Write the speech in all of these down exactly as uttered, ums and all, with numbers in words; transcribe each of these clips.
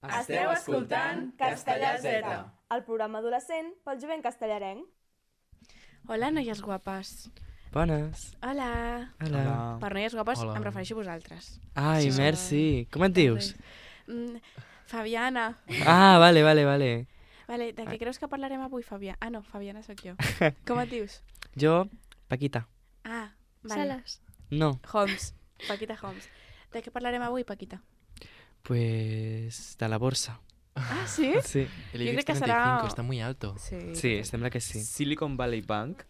Esteu escoltant Castellà Z, el programa adolescent pel jovent castellarenc. Hola, noies guapes. Bones. Hola. Hola. Per noies guapes Hola. em refereixo a vosaltres. Ai, Sí. merci. Com et dius? Mm, Fabiana. Ah, vale, vale, vale. Vale, de què creus que parlarem avui, Fabiana? Ah, no, Fabiana sóc jo. Com et dius? Jo, Paquita. Ah, vale. Sales. No, Holmes. Paquita Holmes. De què parlarem avui, Paquita? pues de la borsa. Ah, sí? Sí, El Yo creo IBEX que treinta y cinco será- está muy alto. Sí. sí, sembla que sí. Silicon Valley Bank.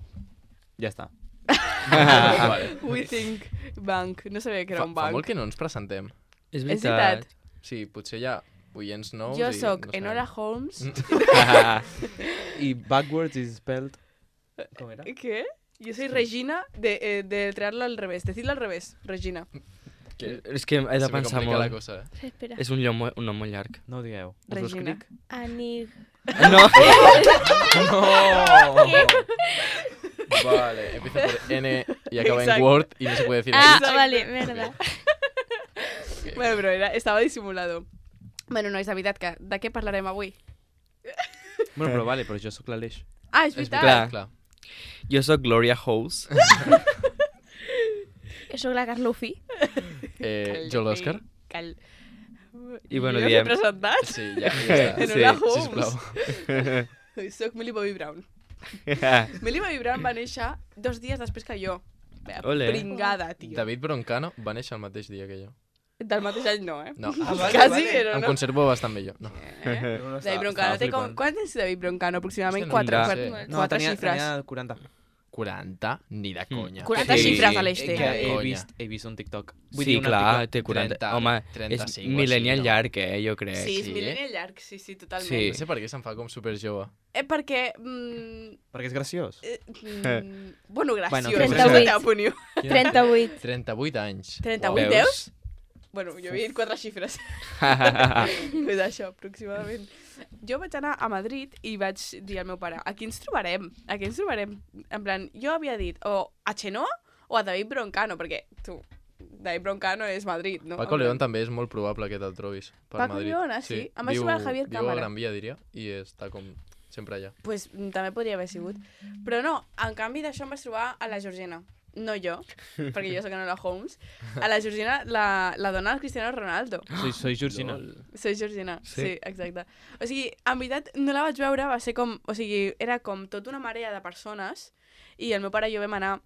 Ja està. Vale. We think bank. No sabia que era Fa, un fa banc. molt que no ens presentem. És És veritat. veritat. Sí, potser hi ha oients nous Jo i sóc no sabem. Enola Holmes. I backwards is spelled... Com era? ¿Qué? Yo soy Regina de, eh, de traerlo al revés. Decidlo al revés, Regina. Que És que he de se me pensar complica la molt. cosa, eh? Espera. És un, llom, mo- un nom molt llarg. No ho digueu. Us ho Regina. escric? Anig... No! ¡No! Vale, empieza por N y acaba en Exacto. Word y no se puede decir Ah, X. vale, merda. Bueno, però era, estava dissimulado. Bueno, no, és la veritat que de què parlarem avui? Bueno, però vale, però jo sóc l'Aleix. Ah, és És veritat. Clar. clar. Jo sóc Gloria House. Soc la Carlufi. Eh, jo l'Òscar. Cal... I bueno, jo diem- m'he presentat. Sí, ja, ja està. Enola Sí, Holmes. Sisplau. Soc Millie Bobby Brown. Millie Bobby Brown va néixer dos dies després que jo. Bé, Ole. Pringada, tio. David Broncano va néixer el mateix dia que jo. Del mateix any no, eh? No, Quasi, però em no. conservo bastant bé jo. No. Eh? David Broncano té com... Quant és David Broncano? Aproximadament Hòstia, no quatre, ho quatre, sé. No, quatre tenia, xifres. tenia quaranta. quaranta? Ni de conya. quaranta Sí. xifres a l'eix Eh, té. que De he conya. vist, he vist un TikTok. Sí, un clar, article. té quaranta. trenta, Home, trenta-cinc és o millennial així, no? llarg, eh, jo crec. Sí, és Sí? millennial llarg, sí, sí, totalment. Sí. No sé per què se'n fa com super jove. Eh, perquè... Mm, Perquè és graciós. eh, mm, bueno, graciós. Bueno, Bueno, trenta-vuit. la teva opinió. trenta-vuit. trenta-vuit anys. trenta-vuit, Veus? veus? Bueno, jo havia dit quatre xifres. És això, aproximadament. Jo vaig anar a Madrid i vaig dir al meu pare, aquí ens trobarem, aquí ens trobarem. En plan, jo havia dit o a Chenoa o a David Broncano, perquè tu, David Broncano és Madrid, no? Paco En plan, León també és molt probable que te'l trobis per Paco Madrid. León, ah, sí? Em vaig viu, trobar el Javier viu Cámara. a Gran Via, diria, i està com sempre allà. Pues mm, també podria haver sigut. Però no, en canvi d'això em vaig trobar a la Georgina. No jo, perquè jo soc Enola Holmes. A la Georgina, la, la dona del Cristiano Ronaldo. Soy, soy Georgina. Lol. Soy Georgina, sí? Sí? sí, exacte. O sigui, en veritat, no la vaig veure, va ser com... O sigui, era com tota una marea de persones i el meu pare i jo vam anar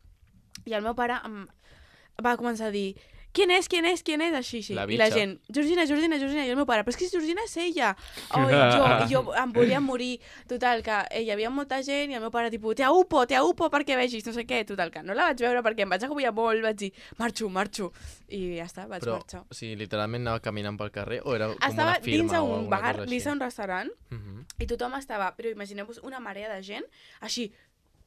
i el meu pare em va començar a dir ¿quién és, quién és, quién és? Així, sí. La I la bitxa. gent, Georgina, Georgina, Georgina. I el meu pare, però és que Georgina és ella. Oh, i jo, i jo em volia morir. Total, que eh, hi havia molta gent i el meu pare, tipus, te aupo, te aupo perquè vegis, no sé què. Total, que no la vaig veure perquè em vaig agobiar molt, vaig dir, marxo, marxo. I ja està, vaig Però, marxar. o sigui, literalment anava caminant pel carrer o era com Estava una firma dins o d'un alguna bar, cosa dins així? d'un restaurant, Mhm. i tothom estava, però imagineu-vos una marea de gent, així,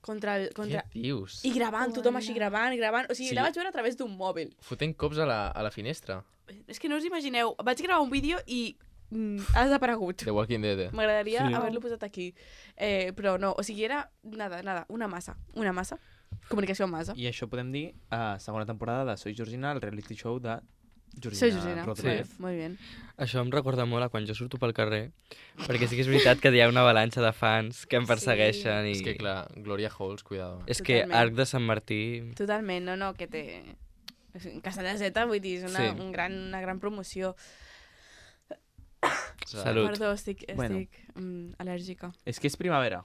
contra el... Contra... Què dius? I gravant, tothom així gravant, gravant... O sigui, Sí. la vaig veure a través d'un mòbil. Fotent cops a la, a la finestra. És que no us imagineu, vaig gravar un vídeo i mm, ha desaparegut. The Walking Dead. eh? M'agradaria Sí. haver-lo posat aquí. Eh, però no, o sigui, era nada, nada, una massa. Una massa. Comunicació en massa. I això podem dir a segona temporada de Soy Georgina, el reality show de Georgina Soy Georgina. Rodríguez. Sí. Molt bé. Això em recorda molt a quan jo surto pel carrer, perquè sí que és veritat que hi ha una avalanxa de fans que em persegueixen i... És que, clar, Gloria Halls, cuidado. És que Totalment. Arc de Sant Martí... Totalment, no, no, que té... Castellà Z, vull dir, és una, Sí. un gran, una gran promoció. Salut. Perdó, estic, estic Bueno. mm, al·lèrgica. És que és primavera.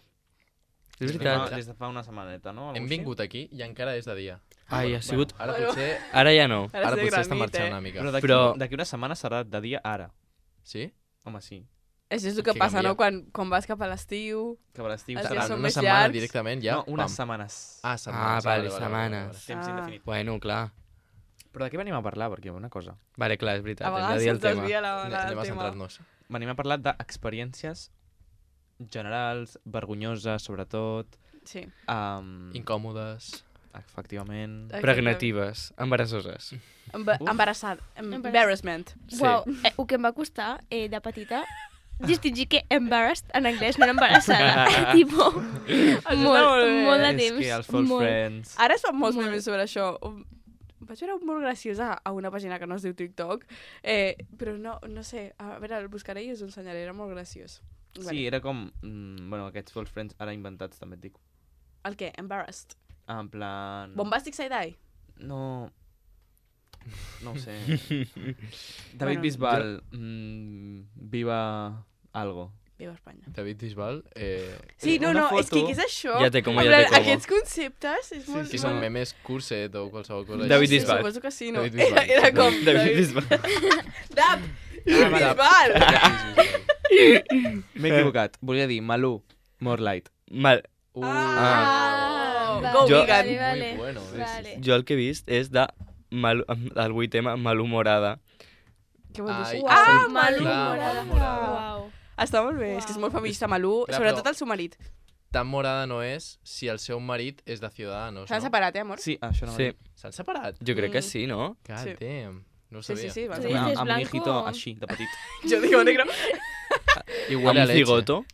És Des de veritat. fa- Des de fa una setmaneta, no? Algo Hem així? vingut aquí i encara és de dia. Ai, ha sigut... Ara Bueno. potser, Ara ja no. Ara ara sé potser està granit, marxant eh? una mica. Però d'aquí Però- d'aquí una setmana serà de dia ara. Sí? Home, sí. Això és el que Que passa, canvia. no? Quan, quan vas cap a l'estiu... Que per l'estiu Els serà... dies Serà són una més setmana llargs. directament ja? No, unes pam. setmanes. Ah, setmanes. Ah, vale, setmanes. Temps Ah. indefinit. Bueno, clar. Però de què venim a parlar? Perquè una cosa. Vale, clar, és veritat. A Hem de vegades dir el se'ns tema. desvia la, Anem la, anem a el tema. centrar-nos. Venim a parlar d'experiències generals, vergonyoses, sobretot. Sí. Um, Incòmodes. efectivament. Pregnatives, embarassoses. Emba Uf. embarassat. Embarrassment. Sí. Uau, eh, el que em va costar eh, de petita distingir que embarrassed en anglès no era embarassada. tipo, Això està molt, molt bé. molt de És temps. que els false molt. friends... Ara es fan molts Molt. memes sobre això. vaig veure un molt graciós a, a una pàgina que no es diu TikTok, eh, però no, no sé, a veure, el buscaré i us ho ensenyaré, era molt graciós. Sí, era com... Mm, bueno, aquests false friends ara inventats, també et dic. El què? Embarrassed. Ah, en plan... Bombastic side-eye? No... No ho sé. David Bueno, Bisbal, mm, viva algo. Viva Espanya. David Bisbal, eh, Sí, no, Una no, és que foto. què és això? Ja té como, En ja plan, té como. Aquests conceptes és molt... que són memes curset o qualsevol cosa. David sí, Bisbal. Suposo que sí, no? David Bisbal. Era, era com... David Bisbal. Dab! Ah, vale. Bisbal! M'he equivocat. Volia dir Malú, More Light. Mal. Uh, Ah! vale, Go Jo- vegan! Vale, vale. Muy bueno, sí, sí, vale. Jo el que he vist és de Mal, el vuit M Malú Morada. Què vol dir Ai, això? ah, Ah, sí, Malú clar, Morada! Morada. Uau. Està molt bé, és que és molt feminista, Malú, Clar, sobretot però- el seu marit. Tan morada no és si el seu marit és de Ciudadanos, S'han no? separat, eh, amor? Sí, això no Sí, S'han separat? jo crec que Mm. sí, no? God Sí. damn. No ho Sí, sabia. sí, sí. Van Sí. separar. dices Amb un blanco hijito o- així, de petit. Jo digo negro. I Amb huele a un leche. cigoto.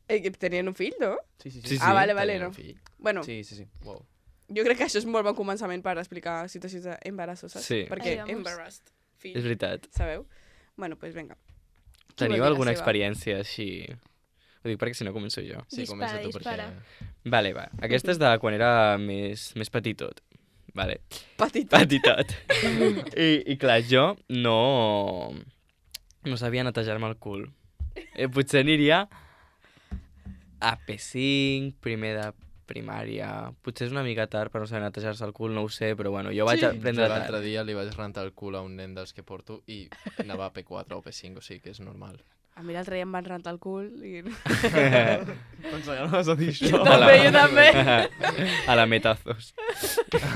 Eh, que tenien un fill, no? Sí, sí, Sí, Ah, vale, vale, Tenien no. un fill. Bueno, Sí, sí, sí. Wow. jo crec que això és molt bon començament per explicar situacions d'embarassos, saps? Sí. Perquè Ai, vamos. embarrassed, fill, És veritat. sabeu? Bueno, doncs pues vinga. Qui vol dir Teniu la alguna seva? experiència així? Ho dic perquè si no començo jo. Sí, Dispara, comença tu dispara. perquè... Vale, va. Aquesta és de quan era més, més petitot. Vale. Petit. Petitot. I, I clar, jo no... No sabia netejar-me el cul. Eh, potser aniria a P cinc, primer de primària... Potser és una mica tard per no saber netejar-se el cul, no ho sé, però bueno, jo vaig Sí. aprendre Jo tard. l'altre dia li vaig rentar el cul a un nen dels que porto i anava a P quatre o P cinc, o sigui que és normal. A mi l'altre dia em van rentar el cul i... Pensava que no vas a dir això. també, jo també. A la metazos.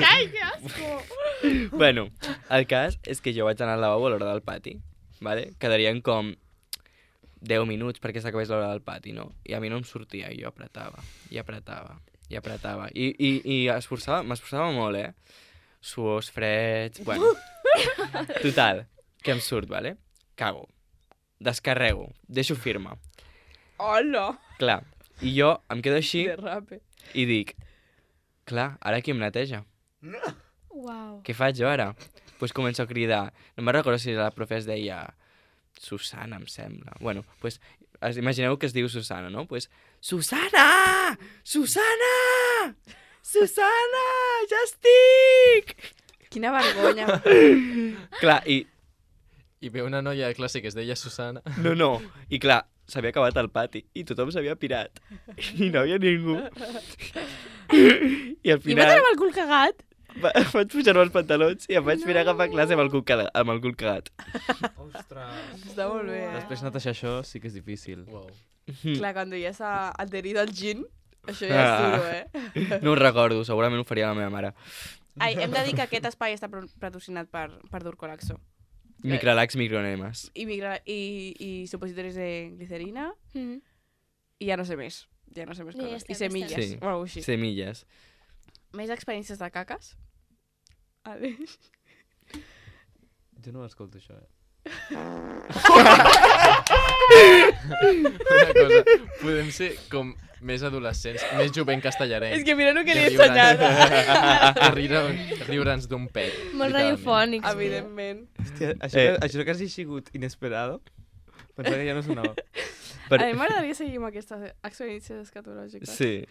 Ai, que asco! Bueno, el cas és que jo vaig anar al lavabo a l'hora del pati, vale? Quedarien com deu minuts perquè s'acabés l'hora del pati, no? I a mi no em sortia, i jo apretava, i apretava, i apretava. I, i, i esforçava, m'esforçava molt, eh? Suors freds, bueno. Total, que em surt, vale? Cago. Descarrego, deixo firma. Hola! Clar, i jo em quedo així Derrape. i dic, clar, ara qui em neteja? Uau. Què faig jo ara? Doncs pues començo a cridar. No me'n recordo si la profe es deia Susana, em sembla. Bueno, doncs pues, imagineu que es diu Susana, no? Doncs pues, Susana! Susana! Susana! Ja estic! Quina vergonya. Clar, i... I ve una noia de classe que es deia Susana. No, no. I clar, s'havia acabat el pati i tothom s'havia pirat. I no havia ningú. I al I vas final... anar amb el cul cagat? Va, vaig pujar-me els pantalons i em vaig mirar cap a classe amb el cul, caga- amb el cul cagat. Ostres. Està molt bé, eh? Després netejar això sí que és difícil. Wow. Clar, quan ja s'ha adherit al gin, això ja és Ah. duro, eh? No ho recordo, segurament ho faria la meva mare. Ai, hem de dir que aquest espai està pro- patrocinat per, per Durcolaxo. Microlax, micronemes. I, migra, i, i supositoris de glicerina, Mm. i ja no sé més. Ja no sé més Ja coses. està, I ja semilles, està. Sí. o alguna així. Semilles. Més experiències de caques? Aleix? Jo no l'escolto, això, eh? Una cosa, podem ser com més adolescents, més jovent castellarenc. És que mira, no queria Que riure'ns- ensenyar. que riure- riure'ns d'un pet. Molt literalment. radiofònics. Evidentment. Hòstia, això, Eh. que, això que hagi sigut inesperado, pensava que ja no sonava. Per... A mi m'agradaria seguir amb aquestes experiències escatològiques. Sí.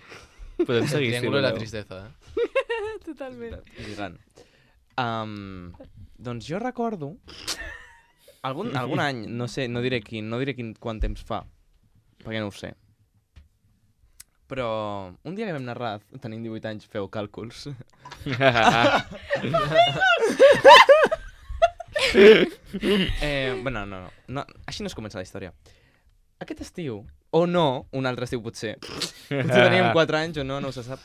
Podem El seguir, si triángulo de la voleu. tristeza, eh? Totalment. Lligant. Um, doncs jo recordo algun, algun any, no sé, no diré quin, no diré quin, quant temps fa, perquè no ho sé. Però un dia que vam anar a Raz, tenim divuit anys, feu càlculs. eh, bueno, no, no, no, així no es comença la història. Aquest estiu, o no, un altre estiu potser, potser teníem quatre anys o no, no se sap,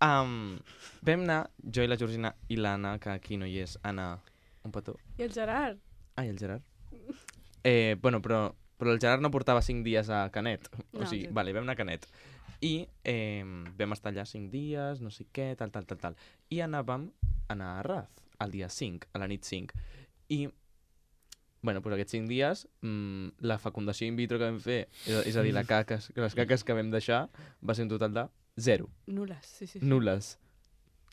um, vam anar, jo i la Georgina i l'Anna, que aquí no hi és, Anna, un petó. I el Gerard? Ah, i el Gerard. Eh, bueno, però, però el Gerard no portava cinc dies a Canet. O No, sigui, sí. vale, vam anar a Canet. I eh, vam estar allà cinc dies, no sé què, tal, tal, tal, tal. I anàvem a anar a Raz, el dia cinc, a la nit cinc. I, bueno, doncs aquests cinc dies, mmm, la fecundació in vitro que vam fer, és, és a dir, la caques, les caques que vam deixar, va ser un total de zero. Nules, sí, sí. sí. Nules.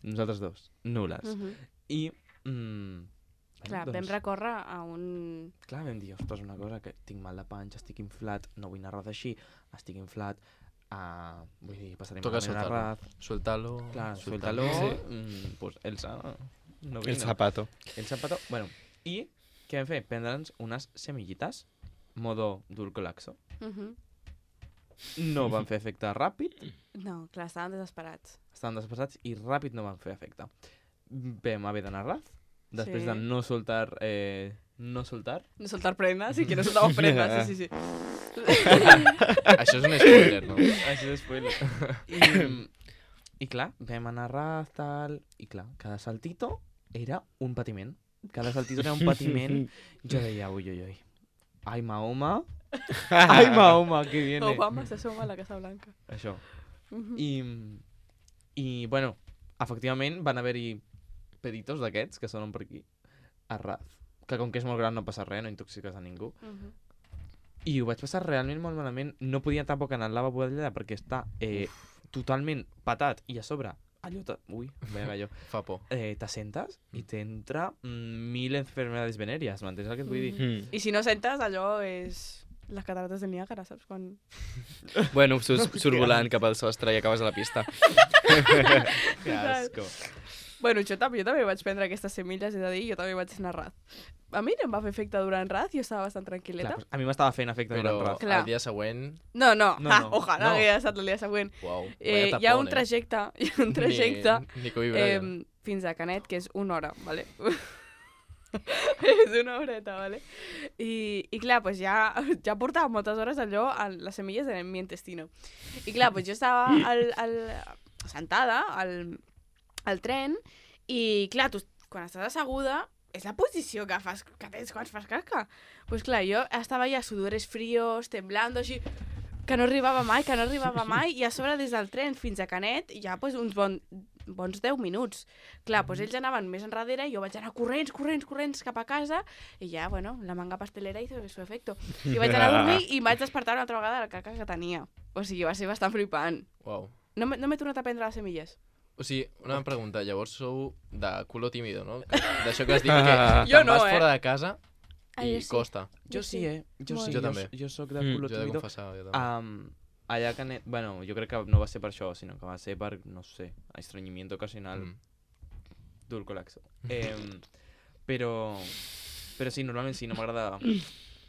Nosaltres dos. Nules. Uh -huh. I... Mm, Clar, doncs, vam recórrer a un... clar, vam dir, ostres, una cosa, que tinc mal de panxa, estic inflat, no vull anar a ras així, estic inflat, uh, vull dir, passaré Toca malament a soltar-lo. ras. Suéltalo. Clar, suéltalo. suéltalo, mm, pues Elsa, no El vino. zapato. El zapato, bueno, i què vam fer? Prendre'ns unes semillites, modo dulcolaxo. Uh -huh. No van fer efecte ràpid, No, clar, estaven desesperats. estaven despassats i ràpid no van fer efecte. Vam haver d'anar a ras, després Sí. de no soltar... Eh, no soltar. No soltar prendas, sí que no soltamos prendas, sí, sí, sí. Això és un spoiler, no? Això és spoiler. I, I clar, vam anar a ras, tal... I clar, cada saltito era un patiment. Cada saltito era un patiment. Jo deia, ui, ui, ui. Ai, Mahoma. Ai, Mahoma, que viene. Obama se asoma a la Casa Blanca. Això. Uh -huh. I, i bueno, efectivament van haver-hi peditos d'aquests que sonen per aquí a ras. Que com que és molt gran no passa res, no intoxiques a ningú. Uh -huh. I ho vaig passar realment molt malament. No podia tampoc anar al lavabo d'allà perquè està eh, totalment patat i a sobre allò... Ta... Ui, veia jo. Fa por. Eh, t'assentes i t'entra mm, mil enfermedades venèries, m'entens el que et vull dir? Mm. I si no sentes, allò és... Les catarates de Niàgara, saps? Quan... Bueno, surt, surt volant cap al sostre i acabes a la pista. Que asco. Bueno, jo també, jo també vaig prendre aquestes semilles, és a dir, jo també vaig anar a raz. A mi no em va fer efecte durant raz, jo estava bastant tranquil·leta. Clar, pues a mi m'estava fent efecte Però durant ras. Clar. el dia següent... No, no, No, ah, no. ojalà No. hagués estat el dia següent. Uau, Eh, vaya hi ha un tapón, eh? trajecte, hi ha un trajecte Ni, ni Kobe eh, Bryant. fins a Canet, que és una hora, ¿vale? és una horeta, ¿vale? I, i clar, pues ja, ja portava moltes hores allò, a les semilles en mi intestino. I clar, pues jo estava al, al, sentada al, al tren i clar, tu quan estàs asseguda és la posició que fas, que tens quan fas caca. Pues clar, jo estava ja sudores fríos, temblando, així, que no arribava mai, que no arribava mai, i a sobre des del tren fins a Canet ja pues, uns bon, bons deu minuts. Clar, pues, ells anaven més enrere i jo vaig anar corrents, corrents, corrents cap a casa i ja, bueno, la manga pastelera hizo su efecto. I vaig anar a dormir i em vaig despertar una altra vegada de la caca que tenia. O sigui, va ser bastant flipant. Uau. No, m'he- no m'he tornat a prendre les semilles. O sigui, una pregunta, llavors sou de culo tímido, no? Que- D'això que has dit que Jo te'n no, vas eh? fora de casa Ah, i jo sí. costa. Jo sí, eh? Jo Molt. sí, Jo jo, també. jo sóc de Mm. culo Jo he de tímido. confessar, jo també. Um, allà a Canet... Bueno, jo crec que no va ser per això, sinó que va ser per, no sé, estrenyimiento ocasional. Mm. Dulcolaxo. Eh, però... Però sí, normalment sí, no m'agrada...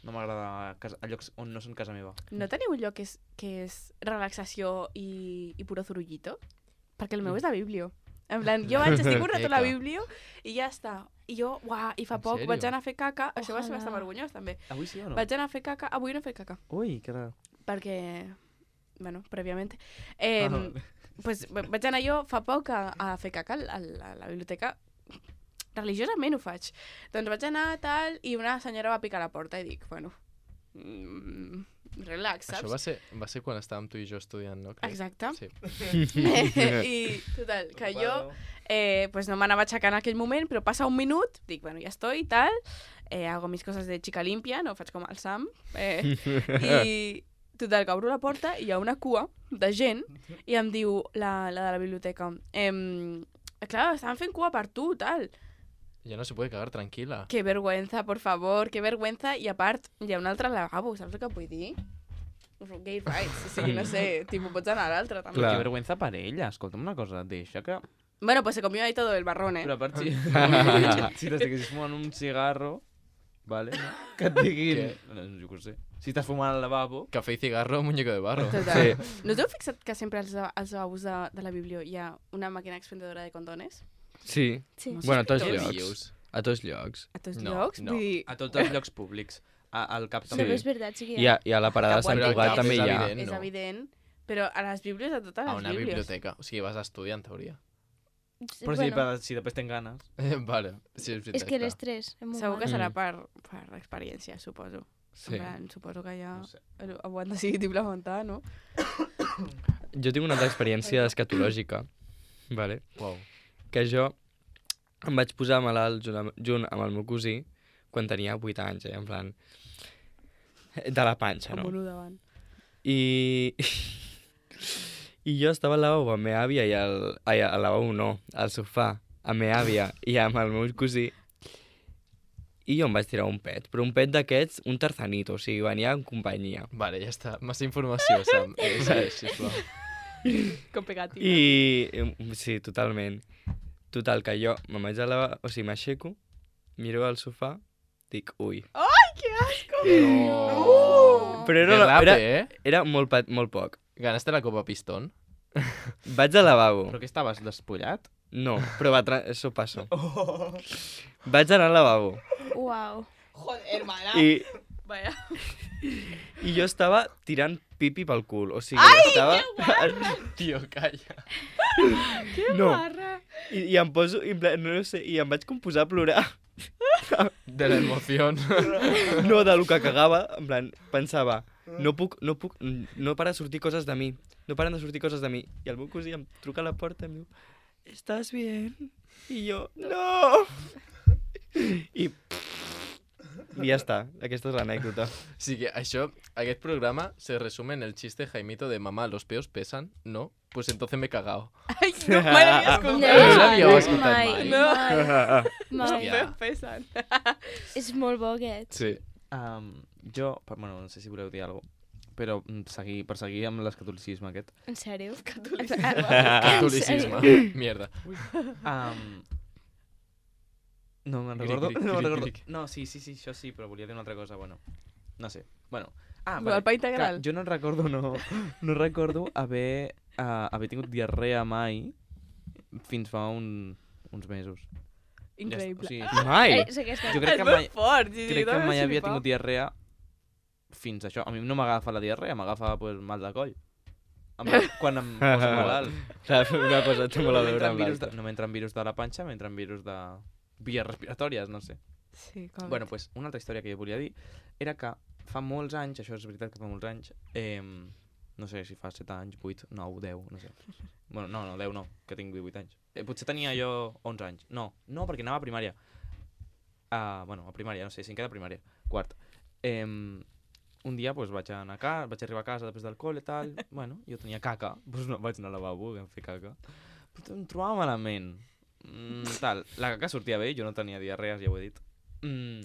No m'agrada a, casa- a llocs on no són casa meva. No teniu un lloc que és, que és relaxació i, i puro zurullito? Perquè el meu és la Biblio. En plan, jo vaig, estic un rato a la Eca. Biblio i ja està. I jo, uah, i fa En poc sèrio? vaig anar a fer caca. Això va ser Ojalà. bastant vergonyós, també. Avui sí o no? Vaig anar a fer caca. Avui no he fet caca. Ui, que raro. Perquè, bueno, prèviament. Eh, Ah, vale. pues, va- vaig anar jo fa poc a, a fer caca a la, a la biblioteca. Religiosament ho faig. Doncs vaig anar tal i una senyora va picar a la porta i dic, bueno, mm, relax, saps? Això va ser, va ser quan estàvem tu i jo estudiant, no? Crec? Exacte. Sí. I, total, que jo eh, pues no m'anava aixecant en aquell moment, però passa un minut, dic, bueno, ja estoy i tal, eh, hago mis coses de chica limpia, no faig com el Sam, eh, i total, que obro la porta i hi ha una cua de gent i em diu la, la de la biblioteca, ehm, clar, estaven fent cua per tu, tal. Ya no se puede cagar tranquila. Que vergüenza, por favor, que vergüenza. I a part, hi ha un altre lavabo, saps el que vull dir? Gay rights, o sigui, no sé, tipus, pots anar a l'altre, també. Clar. Que vergüenza per ella. Escolta'm una cosa, deixa que... Bueno, pues se comió ahí todo el marrón, eh? Però a part, si, si t'estiguessis fumant un cigarro, vale, no? que et diguin... Què? No, jo què sé. Si estàs fumant al lavabo... Café y cigarro, muñeco de barro. Total. Sí. No us heu fixat que sempre als, als lavabos de, de la biblio hi ha una màquina expendedora de condones? Sí. Sí. Bueno, a tots Què llocs. dius? A tots llocs. A tots No, llocs? no. Vull dir... A tots els llocs públics. A, al cap Sí. també. Però és veritat, sí que I a, i a la parada de Cap Sant bueno, Cugat cap també és hi ha. evident. És no. evident. Però a les bíblies, a totes A les una bíblies. biblioteca. O sigui, vas a estudiar, en teoria. Però sí, per, si després tens ganes... vale, sí, és veritat. És que clar. l'estrès és molt Segur que mal. serà Mm. per, per experiència, suposo. Sí. En plan, suposo que ja No sé. ho han decidit implementar, no? Jo tinc una altra experiència escatològica, vale? Uau. Que jo em vaig posar malalt junt amb, junt amb el meu cosí quan tenia vuit anys, eh? En plan... De la panxa, Amb no? un u davant. I... I jo estava al lavabo amb la meva àvia i al... Ai, al lavabo no, al sofà, amb meva àvia i amb el meu cosí, i jo em vaig tirar un pet, però un pet d'aquests, un tarzanito, o sigui, venia en companyia. Vale, ja està. Massa informació, Sam. Eh, segueix, sisplau. Com pegatina. I... eh, Sí, totalment. Total, que jo me'n vaig a la... O sigui, m'aixeco, miro al sofà, dic, ui. Ai, que asco! No. Però era, Que rap, era, eh? era molt, pat- molt poc. Ganaste la Copa Pistón? Vaig al lavabo. Però què estaves, despullat? No, però va tra... eso passo. Vaig anar al lavabo. Uau. Joder, hermana. I, Vaya. I jo estava tirant pipi pel cul. O sigui, estava... Tio, calla. Que No. barra. I, I em poso... I, en plan, no sé, i em vaig com posar a plorar. De la emoción. No, de lo que cagava. En plan, pensava, no puc, no puc, no para de sortir coses de mi. No paren de sortir coses de mi. I el meu cosí em truca a la porta i em diu, ¿estás bien? I jo, no! I... I ja està, aquesta és l'anècdota. Sí que això, aquest programa se resume en el chiste Jaimito de mamá, los peos pesan, ¿no? Pues entonces me he cagado. Ai, no me l'havia No, escoltat. No l'havíeu mai, escoltat mai, mai? No. mai. Hòstia. Peus pesen. És molt bo aquest. Sí. Um, jo, per, bueno, no sé si voleu dir alguna cosa, però mm, seguir, per seguir amb l'escatolicisme aquest. En sèrio? Catolicisme. Mierda. Um, no me'n Cric, recordo. cric, no, me'n cric, recordo. cric. No, sí, sí, sí, això sí, però volia dir una altra cosa, bueno. No sé. Bueno. Ah, El pa integral. Clar, jo no recordo, no, no recordo haver, uh, haver tingut diarrea mai fins fa un, uns mesos. Increïble. Ja, o sigui, Mai! És aquesta. jo crec És que mai, molt fort. sí, sí, crec que dona mai havia xerifar. tingut diarrea fins a això. A mi no m'agafa la diarrea, m'agafa pues, mal de coll. Em, quan em poso malalt. Una cosa té molt a No veure m'entren amb virus, de, l'altra. no m'entren virus de la panxa, m'entren virus de vies respiratòries, no sé. Sí, com... Bueno, pues, una altra història que jo volia dir era que fa molts anys, això és veritat que fa molts anys, eh, no sé si fa set anys, vuit, nou, deu, no sé. Bueno, no, no, deu no, que tinc divuit anys. Eh, potser tenia jo onze anys. No, no, perquè anava a primària. Uh, bueno, a primària, no sé, cinquè de primària, quart. Eh, un dia pues, vaig anar a casa, vaig arribar a casa després del col·le i tal, bueno, jo tenia caca, doncs no vaig anar al lavabo a fer caca. Però em trobava malament. Mm, tal, la caca sortia bé, jo no tenia diarrees, ja ho he dit. Mm,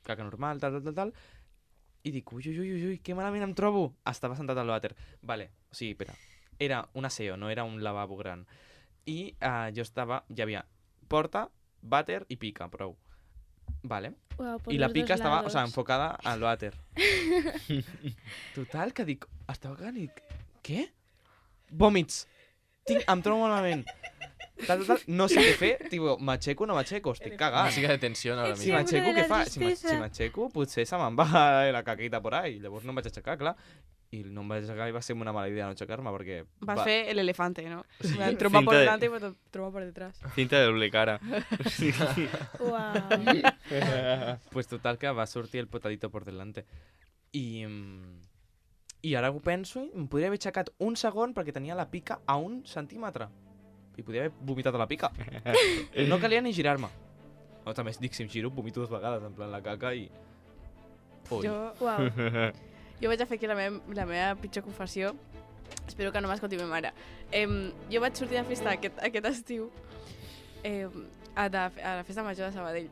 caca normal, tal, tal, tal, tal. I dic, ui, ui, ui, ui, ui, que malament em trobo. Estava sentat al vàter. Vale, o sigui, espera, era un aseo, no era un lavabo gran. I uh, jo estava, hi havia porta, vàter i pica, prou. Vale. Uau, por I la los pica dos estava, o lados. sea, enfocada al vàter. Total, que dic, estava cagant i dic, què? Vòmits. Tinc, em trobo malament. Tal, tal, tal, no sé què fer, tipo, m'aixeco o no m'aixeco, estic cagant. Música de tensión ahora Sí, Si mismo. m'aixeco, m'aixeco, de què la fa? Si m'a- tristesa. si m'aixeco, potser se me'n va la caquita por ahí. Llavors no em vaig aixecar, clar. I no em vaig aixecar i va ser una mala idea no aixecar-me, perquè... Vas va- fer el elefante, ¿no? Sí. Me trompa por Cinta de- delante y me trompa por detrás. Cinta de doble cara. Uau. Pues total que va sortir el potadito por delante. I, mm, i ara ho penso, i em podria haver aixecat un segon perquè tenia la pica a un centímetre. I podria haver vomitat a la pica. No calia ni girar-me. O també dic, si em giro, vomito dues vegades, en plan la caca i... Ui. Jo, Uau. jo vaig a fer aquí la meva, la meva pitjor confessió. Espero que no m'escolti ma mare. Em, jo vaig sortir de festa aquest, aquest estiu eh, a, de, a la festa major de Sabadell.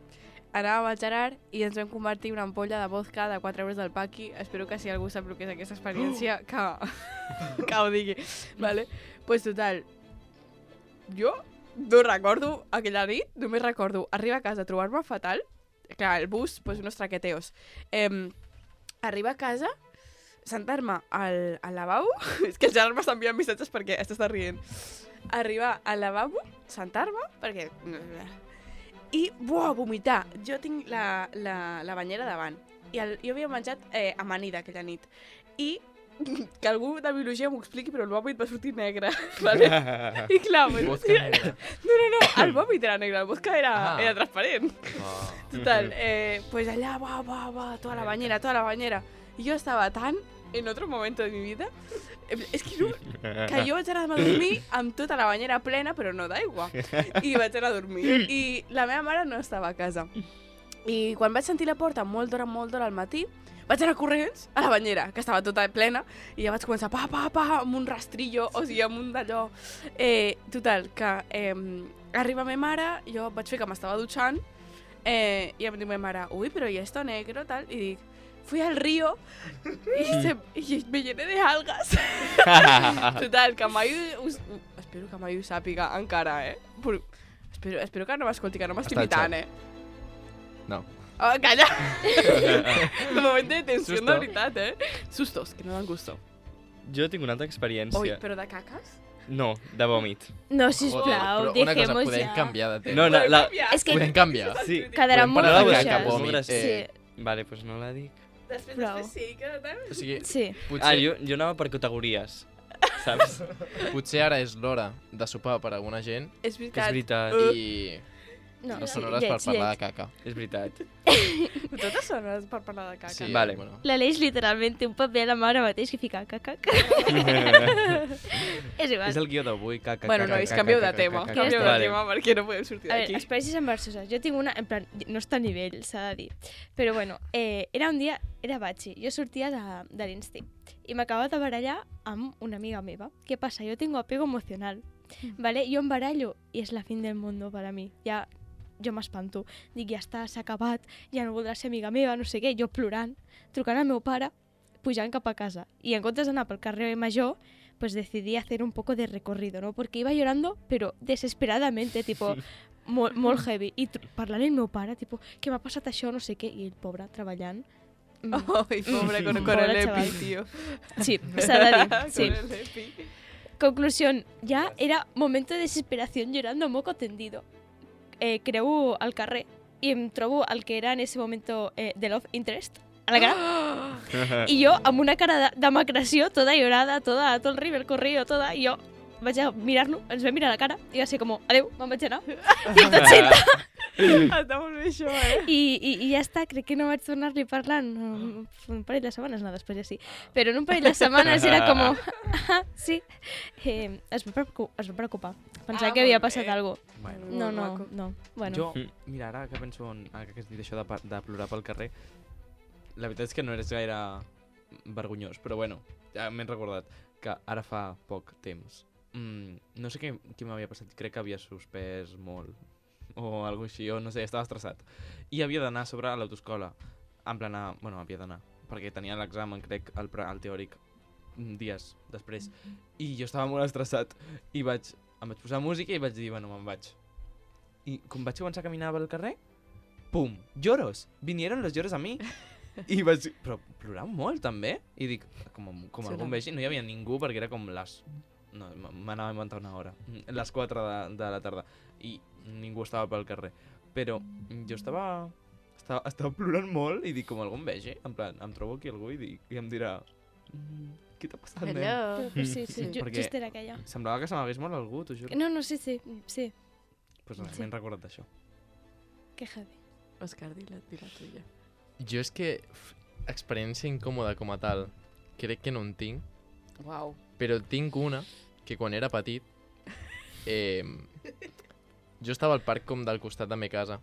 Anàvem al Gerard i ens vam convertir en una ampolla de vodka de quatre euros del paqui. Espero que si algú sap el que és aquesta experiència, que, que ho digui. Vale? Pues total, jo no recordo aquella nit, només recordo arribar a casa, trobar-me fatal. Clar, el bus, pues unos traqueteos. Eh, arribar a casa, sentar-me al, al lavabo, és que el Gerard m'està enviant missatges perquè està rient. Arribar al lavabo, sentar-me, perquè... I, buah, vomitar. Jo tinc la, la, la banyera davant. I el, jo havia menjat eh, amanida aquella nit. I que algú de biologia m'ho expliqui, però el vòmit va sortir negre. Vale? I clar, pues, Vodka negra. no, no, no, el vòmit era negre, el vodka era, Ah. era transparent. Ah. Total, eh, pues allá, va, va, va, toda la bañera, toda la bañera. Y yo estaba tan en otro momento de mi vida. eh, És que, no, que jo vaig anar a dormir amb tota la banyera plena, però no d'aigua. I vaig anar a dormir. I la meva mare no estava a casa. I quan vaig sentir la porta molt d'hora, molt d'hora al matí, vaig anar corrents a la banyera, que estava tota plena, i ja vaig començar pa, pa, pa, amb un rastrillo, o sigui, amb un d'allò. Eh, total, que eh, arriba ma mare, jo vaig fer que m'estava dutxant, eh, i em diu ma mare, ui, però hi ha esto negro, tal, i dic, fui al río y, se, y me llené de algas. Total, que mai us, espero que mai ho sàpiga encara, eh? Però, espero, espero que no m'escolti, que no m'estic Està al imitant, xat. eh? No. Oh, calla! Un moment de tensió, Susto. de veritat, eh? Sustos, que no dan gusto. Jo tinc una altra experiència. Ui, però de caques? No, de vòmit. No, Joder, sisplau, però una cosa, dejemos podem ja. canviar de tema. No, no, la... És que Podem canviar. Sí. quedarà Podem molt parar de fluixes. caca, Molt vòmit. gràcies. Sí, Vale, doncs no la dic. Després, Prou. després sí, que tal? O sigui, sí. potser, Ah, jo, jo anava per categories, saps? potser ara és l'hora de sopar per a alguna gent És Que és veritat. veritat, i No, no sí, són hores per lleig, parlar de lleig. caca. és veritat. Totes són hores per parlar de caca. Sí, Vale. bueno. L'Aleix literalment té un paper a la mà ara mateix que fica caca. És igual. És el guió d'avui, caca, Bueno, caca, nois, caca, canvieu de caca, tema. caca, Ja Canvieu està. de Vale. tema perquè no podem sortir A veure, d'aquí. experiències embarassoses. Jo tinc una, en plan, no està a nivell, s'ha de dir. Però bueno, eh, era un dia, era batxi. Jo sortia de, de l'Insti i m'acabava de barallar amb una amiga meva. Què passa? Jo tengo apego emocional. ¿Vale? Jo em barallo i és la fin del mundo per a mi. Ja, jo m'espanto. Dic, ja està, s'ha acabat, ja no voldrà ser amiga meva, no sé què. Jo plorant, trucant al meu pare, pujant cap a casa. I en comptes d'anar pel carrer Major, pues decidí hacer un poco de recorrido, ¿no? Porque iba llorando, pero desesperadamente, tipo, molt, molt heavy. I tr- parlant amb el meu pare, tipo, què m'ha passat això, no sé què, i el pobre treballant. Mm. Ai, pobre, con, con Pobre el chaval. EPI, tío. Sí, s'ha de dir, sí. Con el EPI. Conclusión, ya era momento de desesperación llorando moco tendido. Eh, creu al carrer i em trobo el que era en ese momento eh, de Love Interest a la cara. I jo, amb una cara de, de macració, tota llorada, tota, tot el river corrido, tota, i jo vaig a mirar-lo, ens vam mirar a la cara, i va ser com, adeu, me'n vaig anar. cent Està molt bé això, eh? I, i, I ja està, crec que no vaig tornar-li a parlar en un parell de setmanes, no, després ja sí. Però en un parell de setmanes era com, ah, sí. Eh, es, va preocu- es va preocupar. Pensava Ah, que havia molt passat bé. alguna cosa. Bueno, No, Molt no, maco. no. Bueno, jo, mira, ara que penso en, ara que has dit això de, pa- de plorar pel carrer, la veritat és que no eres gaire vergonyós, però bueno, ja m'he recordat que ara fa poc temps, mm, no sé què, què m'havia passat, crec que havia suspès molt, o alguna així, o no sé, estava estressat. I havia d'anar a sobre a l'autoescola, en plan, a, bueno, havia d'anar, perquè tenia l'examen, crec, el, pre- el teòric, mm, dies després. I jo estava molt estressat, i vaig, em vaig posar música i vaig dir, bueno, me'n vaig. I com vaig començar a caminar pel carrer, pum, lloros, vinieron los lloros a mi. I vaig, però plorant molt també. I dic, com, com Sí, algú no. em vegi, no hi havia ningú perquè era com les... No, m- m'anava a inventar una hora. mm, Les quatre de, de la tarda. I ningú estava pel carrer. Però jo estava... Estava, estava plorant molt i dic, com algú em vegi, en plan, em trobo aquí algú i, dic, i em dirà... "Mm, Què t'ha passat, nen?" Hello. però sí, sí, Sí, jo, perquè- just era aquella. Semblava que se m'hagués mort algú, t'ho juro. No, no, sí, sí, sí, Pues res, Sí. m'he recordat d'això. que heavy. Òscar, di la, di la tuya. Jo és que f- experiència incòmoda com a tal, crec que no en tinc, Uau. però tinc una que quan era petit, eh, jo estava al parc com del costat de la meva casa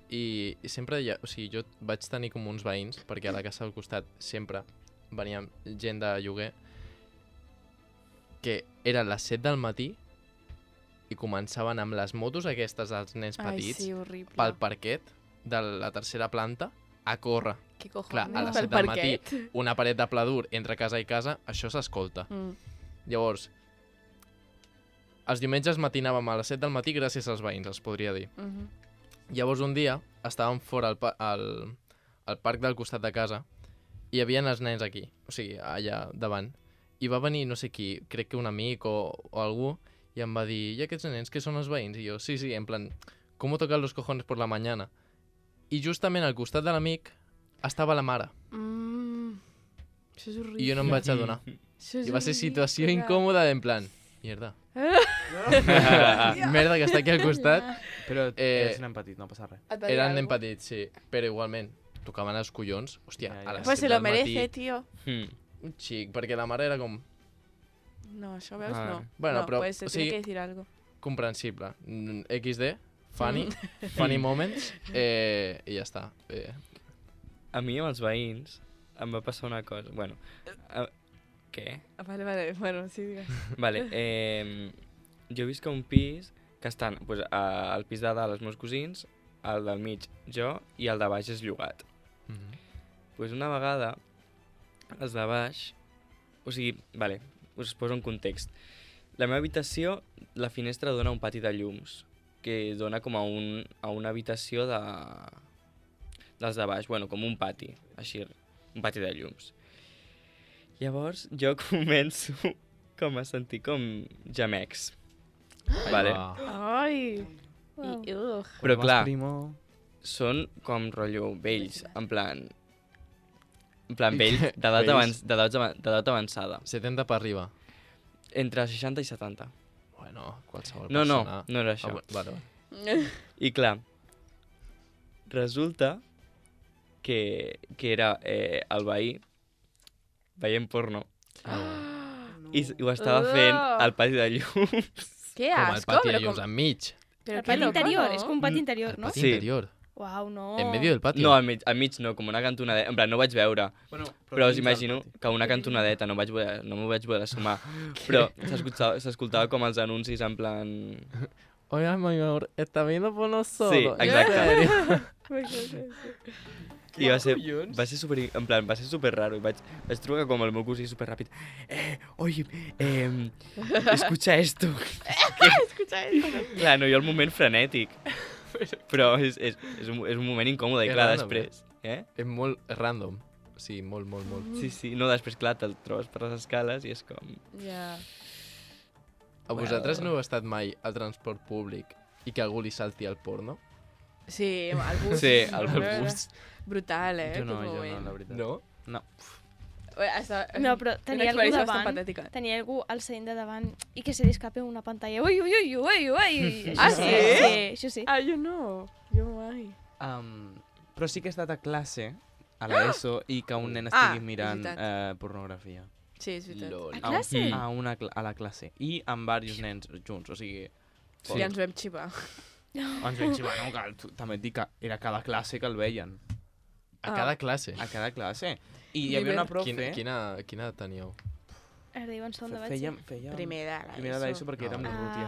i, i sempre hi ha, o sigui, jo vaig tenir com uns veïns, perquè a la casa del costat sempre venia gent de lloguer, que eren les set del matí i començaven amb les motos aquestes dels nens Ai, petits sí, horrible. pel parquet de la tercera planta a córrer. Què cojones? Clar, a les Pel set del matí, parquet. una paret de pla dur entre casa i casa, això s'escolta. Mm. Llavors, els diumenges matinàvem a les set del matí gràcies als veïns, els podria dir. Mhm. Llavors un dia estàvem fora al, pa al, al parc del costat de casa i hi havia els nens aquí, o sigui, allà davant. I va venir no sé qui, crec que un amic o, o algú, i em va dir, i aquests nens que són els veïns? I jo, sí, sí, en plan, ¿cómo tocar los cojones por la mañana? I justament al costat de l'amic estava la mare, Mm. Això és horrible. i jo no em vaig adonar. Això és I va ser situació horrible. incòmoda, en plan, mierda. Merda, que està aquí al costat. Però Eh, eres nen petit, no passa res. Et va dir Eren algo? nen petits, sí, però igualment, tocaven els collons, hòstia, Ja, ja. a les Pues se set lo del matí, merece, tío. Hmm. un xic, perquè la mare era com No, això veus, Ah. no. Bueno, no, però, pues se o tiene sigui- que decir algo. comprensible. Mm, equis de, funny, funny moments, eh, i ja està. Eh, A mi amb els veïns em va passar una cosa. Bueno, a... què? Ah, Vale, vale, bueno, sí, digues. Vale, eh, jo visc a un pis que estan pues, a, al pis de dalt els meus cosins, al del mig jo i el de baix és llogat. mhm. Pues una vegada, els de baix... O sigui, vale, us poso un context. La meva habitació, la finestra dona a un pati de llums, que dona com a, un, a una habitació de... dels de baix, bueno, com un pati, així, un pati de llums. Llavors, jo començo com a sentir com gemecs. Vale? Ah, Ai! Uau. I, ugh. Però clar, Primo... són com rotllo vells, en plan... En plan vells, Vells. d'edat avanç, d'edat avan- d'edat avançada. setanta per arriba. Entre seixanta i setanta. Bueno, qualsevol No, no, persona... no era Ah, això. bu- vale, vale. I clar, resulta que, que era eh, el veí veient porno i, s- i ho estava fent al pati de llums. Que Com el asco, pati de però llums com... enmig. Però El que pati loco, interior, no? és com un pati Mm, interior, El no? pati Sí. interior. Uau, no. En medio del patio. No, al mig, al mig no, com una cantonadeta. En plan, no ho vaig veure, Bueno, però us imagino que una cantonadeta, no, vaig poder, no m'ho vaig poder sumar. Però s'escoltava s'escoltava com els anuncis en plan... Oiga, mi amor, ¿está viendo porno solo? Sí, ¿En exacte. serio? I va ser, va ser super, en plan, va ser super raro. I vaig, vaig trucar com el meu cosí super ràpid. Eh, oye, eh, escucha esto. Escucha esto. Clar, no, jo el moment frenètic. Però és, és, és, un, és un moment incòmode, i És clar, random, després... Eh? És molt random. Sí, molt, molt, molt. Sí, sí, no, després, clar, te'l trobes per les escales i és com... Ja. A vosaltres no heu estat mai al transport públic i que algú li salti al porno? Sí, el bus. Sí, el Brutal. bus. Brutal, eh? Jo no, aquell jo no, moment. la veritat. No? No. Ué, Està... No, però una tenia algú experiència bastant davant, patètica. tenia algú al seient de davant i que se li escape una pantalla. Ui, ui, ui, ui, ui. Ah, Això sí? Sí, això sí. Ah, jo no. Jo mai. Um, però sí que he estat a classe, a l'ESO, i que un nen Ah, estigui és mirant veritat. eh, pornografia. Sí, és veritat. Lol. A classe? Mm. A, una, cla- a la classe. I amb diversos nens junts, o sigui... Sí. Ja ens vam xivar. Ens vam xivar, no? Que, tu- també et dic que era cada classe que el veien. A Ah. cada classe. A cada classe. I hi I havia una ben- profe Quina, quina, quina edat teníeu? Ara diuen segon de feia, batxiller. feia... Primer de l'ESO. Primer de l'ESO perquè érem Ah. l'Urrutia.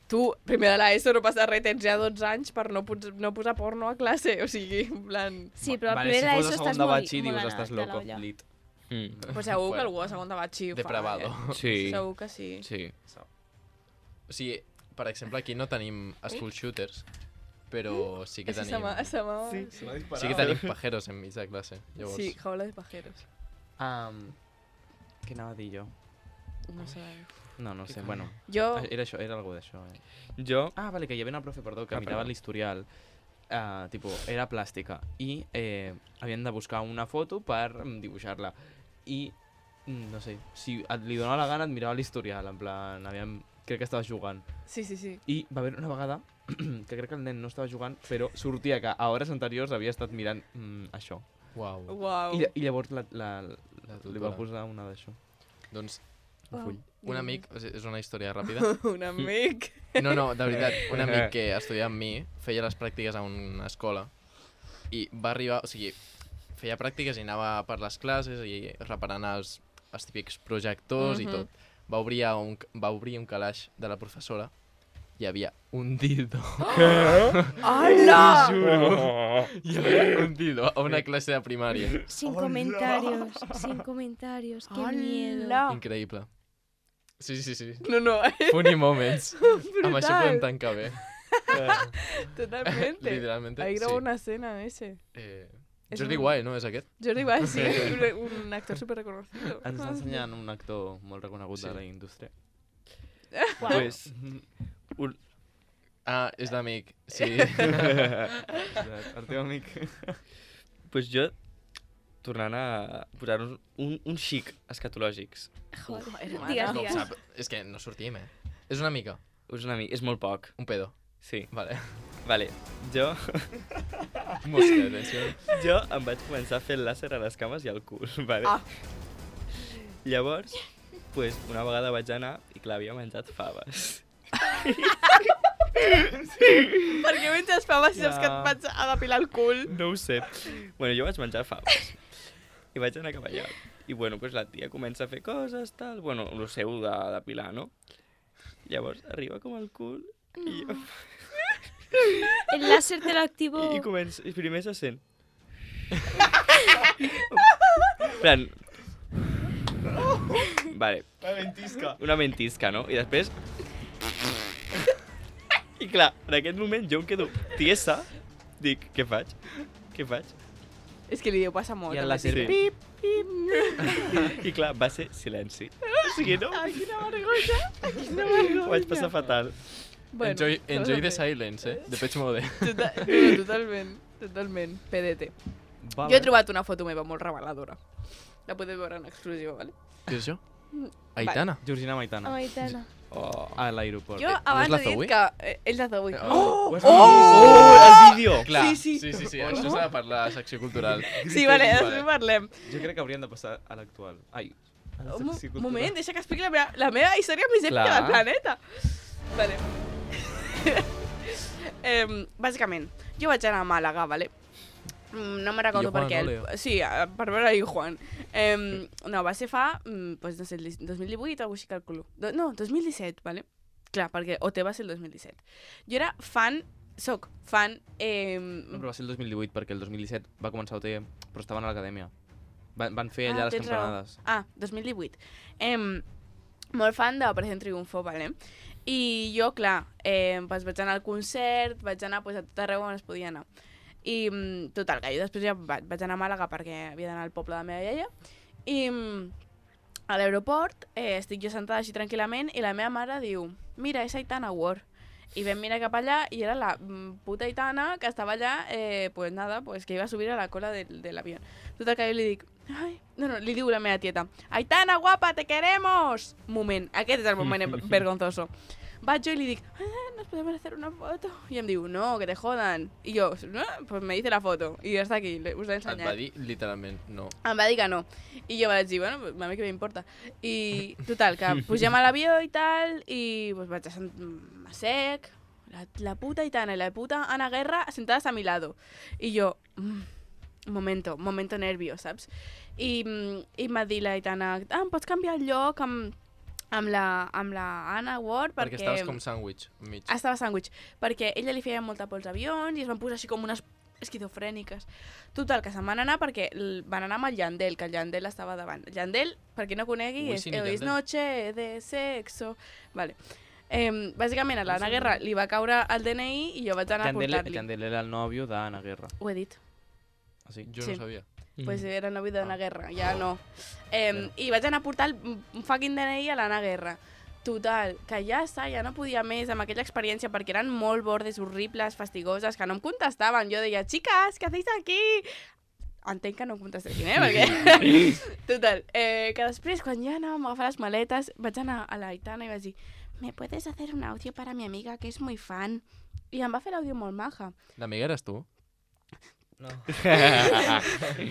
Tu, primer de l'ESO no passa res, tens ja dotze anys per no, pos no posar porno a classe. O sigui, en plan... Sí, però al Vale, primer si de fos l'ESO a segon estàs de molt, batxi, molt dius, anat estàs de loco, l'olla. lit. Mm. Pues segur que Bueno. algú a segon de batxi ho fa. Depravado. Eh? Sí, Segur que sí. sí. O sigui, per exemple, aquí no tenim school shooters, però sí que Ese tenim... se m'ha... Se m'ha... Sí. Sí que tenim pajeros enmig de classe. Llavors, Sí, jaula de pajeros. Um, què anava a dir jo? No sé. No, no sé, bueno. Jo... Ah, Era això, era algo d'això, eh. Jo... Ah, vale, que hi havia una profe, perdó, que Ah, mirava perdó. l'historial. Uh, tipo, era plàstica. I eh, havien de buscar una foto per mm, dibuixar-la. I, mm, no sé, si et li donava la gana et mirava l'historial, en plan, aviam, crec que estava jugant. Sí, sí, sí. I va haver una vegada que crec que el nen no estava jugant, però sortia que a hores anteriors havia estat mirant mm, això. Uau. Uau. I, I llavors la, la, La li va tutora. posar una d'això. Doncs Un full. un amic, o sigui, és una història ràpida. Un amic. No, no, de veritat, un amic que estudiava amb mi feia les pràctiques a una escola i va arribar, o sigui, feia pràctiques i anava per les classes i reparant els, els típics projectors Mhm. i tot. Va obrir, a un, va obrir un calaix de la professora i hi havia un dildo. Hola! Hi havia un dildo a una classe de primària. Sin comentarios, sin comentarios. Qué miedo. Hola! Increïble. Sí, sí, sí. No, no, eh? Funny moments. Amb això podem Brutal. tancar bé. Totalmente. Literalmente, Ahí sí. grabó una escena ese. Eh, És Jordi un- Guay, no? És aquest? Jordi Wild, sí, un, un actor super reconocido. Ens està ensenyant un actor molt reconegut Sí. de la indústria. Uau. Pues, un... Ah, és d'amic. Sí. El teu amic. pues jo, tornant a posar-nos un, un xic escatològics. Joder. hermana. Digues, No ho digues. sap. És que no sortim, eh? És una mica. És una mica, és molt poc, Un pedo. sí. Vale. Vale, jo, Mosca, atenció. jo em vaig començar a fer el làser a les cames i al cul, vale? Ah. Llavors, pues, una vegada vaig anar i clar, havia menjat faves. Per què menges faves si saps que et vaig a depilar el cul? No ho sé. Bueno, jo vaig menjar faves. I vaig anar cap allà. I bueno, pues la tia comença a fer coses, tal... Bueno, el seu de depilar, no? Llavors arriba com el cul i jo... El láser te lo activo. I, i comença... I primer se sent... plan... Vale. Una ventisca. Una ventisca, no? I després... I clar, en aquest moment jo em quedo tiesa. Dic, què faig? Què faig? És que li deu passar molt. I el també. láser, Sí. pip, pip. I clar, va ser silenci. O sigui, no? Ai, quina vergonya. Quina vergonya. Ho vaig passar fatal. Bueno, enjoy s'ha de enjoy the fer. silence, eh? De Pech Mode. Tota- no, totalment, totalment. P D T. Vale. Jo he trobat una foto meva molt reveladora. La podeu veure en exclusiva, vale? Què és això? Aitana. Georgina Maitana. Aitana. Oh. A l'aeroport. Jo no abans és la he dit Zoe? que... Eh, és la Zoe. Oh! Ho has Oh, vist? el vídeo! Clar, Sí, sí. sí, sí, sí. Això s'ha de parlar a la secció cultural. Sí, vale, després parlem. Jo crec que hauríem de passar a l'actual. Ai, a la Un mo- secció cultural. moment, deixa que expliqui la meva, la meva història més èpica Clar. del planeta. Vale. eh, bàsicament, jo vaig anar a Màlaga, vale? Mm, No me recordo I per Juan, què. no, el- Leo? Sí, eh, per veure i Juan. Eh, no, va ser fa, mm, pues, no sé, el dos mil divuit o alguna cosa així calculo. Do, no, dos mil disset, vale? Clar, perquè O T va ser el dos mil disset. Jo era fan, soc fan... Eh, No, però va ser el dos mil divuit, perquè el dos mil disset va començar O T, però estaven a l'acadèmia. Van, van fer allà Ah, les tens raó. campanades. Ah, dos mil divuit. Eh, molt fan d'Operació Triunfo, vale? I jo, clar, eh, pues vaig anar al concert, vaig anar pues, a tot arreu on es podia anar. I, mm, total, que jo després ja va- vaig anar a Màlaga perquè havia d'anar al poble de la meva iaia. I mm, a l'aeroport eh, estic jo sentada així tranquil·lament i la meva mare diu, mira, és Aitana Ward. I vam mirar cap allà i era la mm, puta Aitana que estava allà, eh, pues nada, pues que iba a subir a la cola de, de l'avió. Total, que jo li dic, ai, no, no, li diu la meva tieta, Aitana, guapa, te queremos! Moment, aquest és el moment vergonzoso. Vaig jo i li dic, ah, nos podemos hacer una foto? I em diu, no, que te jodan. I jo, no, pues me dice la foto. I ja està aquí, us l'he Et va ensenyat. dir literalment no. Em va dir que no. I jo vaig dir, bueno, pues, a mi què m'importa. I total, que pugem a l'avió i tal, i pues, vaig a sentar sec, la, la puta Aitana i la puta Ana Guerra sentades a mi lado. I jo, mm, un momento, momento nervio, saps? I, mm, i em va dir la Aitana, ah, em pots canviar el lloc amb, amb, la, amb la Anna Ward? Perquè, Perquè, estaves com sàndwich, mig. Ah, estava sàndwich, perquè ella li feia molta por als avions i es van posar així com unes esquizofrèniques. Total, que se'n van anar perquè l- van anar amb el Yandel, que el Yandel estava davant. El Yandel, per qui no conegui, és Wisin i Hoy es Yandel. noche de sexo. Vale. Eh, bàsicament, a l'Anna Guerra li va caure el D N I i jo vaig anar a Yandel, portar-li. Yandel era el nòvio d'Anna Guerra. Ho he dit. Ah, sí? Jo sí. no sabia. Pues Mm. era el nòvio d'Anna Guerra, ja no. Eh, I vaig anar a portar el un fucking D N I a l'Anna Guerra. Total, que ja està, ja no podia més amb aquella experiència perquè eren molt bordes, horribles, fastigoses, que no em contestaven. Jo deia, chicas, què hacéis aquí? Entenc que no em contestessin, eh? Perquè... Total, eh, que després, quan ja anàvem a agafar les maletes, vaig anar a l'Aitana i vaig dir, ¿me puedes hacer un audio para mi amiga que es muy fan? I em va fer l'àudio molt maja. L'amiga eres tu? No.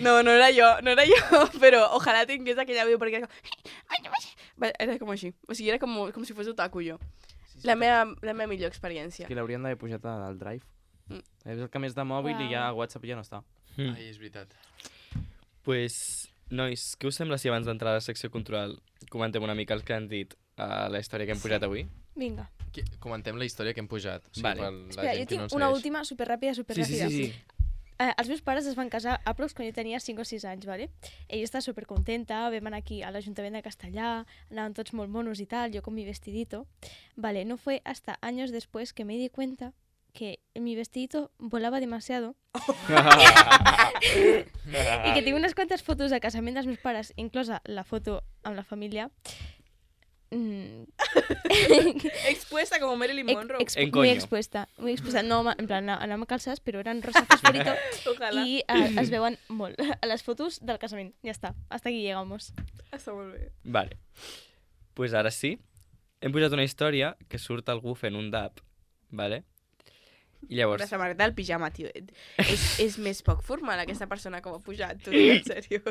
No, no era jo, no era jo, però ojalà tingués aquell àudio perquè era com... Va, era com així, o sigui, era com, com si fos otaku jo. Sí, sí, La però- meva, la meva millor experiència. Que l'haurien d'haver pujat al Drive. Mm. És el que més de mòbil i Uau. ja a WhatsApp ja no està. Mm. Ai, és veritat. Pues, nois, què us sembla si abans d'entrar a la secció cultural comentem una mica el que han dit a la història que hem pujat avui? Vinga. Qui- Comentem la història que hem pujat. O sigui, Vale. per la Espera, gent jo que no tinc ens una segueix. última, superràpida, Sí, sí, superràpida. sí, sí. Eh, els meus pares es van casar a prox quan jo tenia cinc o sis anys, ¿vale? Ella està supercontenta, vam anar aquí a l'Ajuntament de Castellà, anàvem tots molt monos y tal, yo con mi vestidito. Vale, no fue hasta años después que me di cuenta que mi vestidito volaba demasiado i que tinc unes quantes fotos de casament dels meus pares, inclosa la foto amb la família. Mm. Expuesta como Marilyn Ex- Monroe. expu- En muy coño. expuesta, muy expuesta. No, ma- en plan, anàvem calçades, però eren rosa fosforito Ojalà. i eh, es veuen molt a les fotos del casament. Ja està, hasta aquí llegamos. Està molt bé. Vale. Pues ara sí. Hem pujat una història que surt algú fent un dab, vale? I La llavors, samarreta del pijama, tio. És, és més poc formal aquesta persona com ha pujat, tu, en sèrio.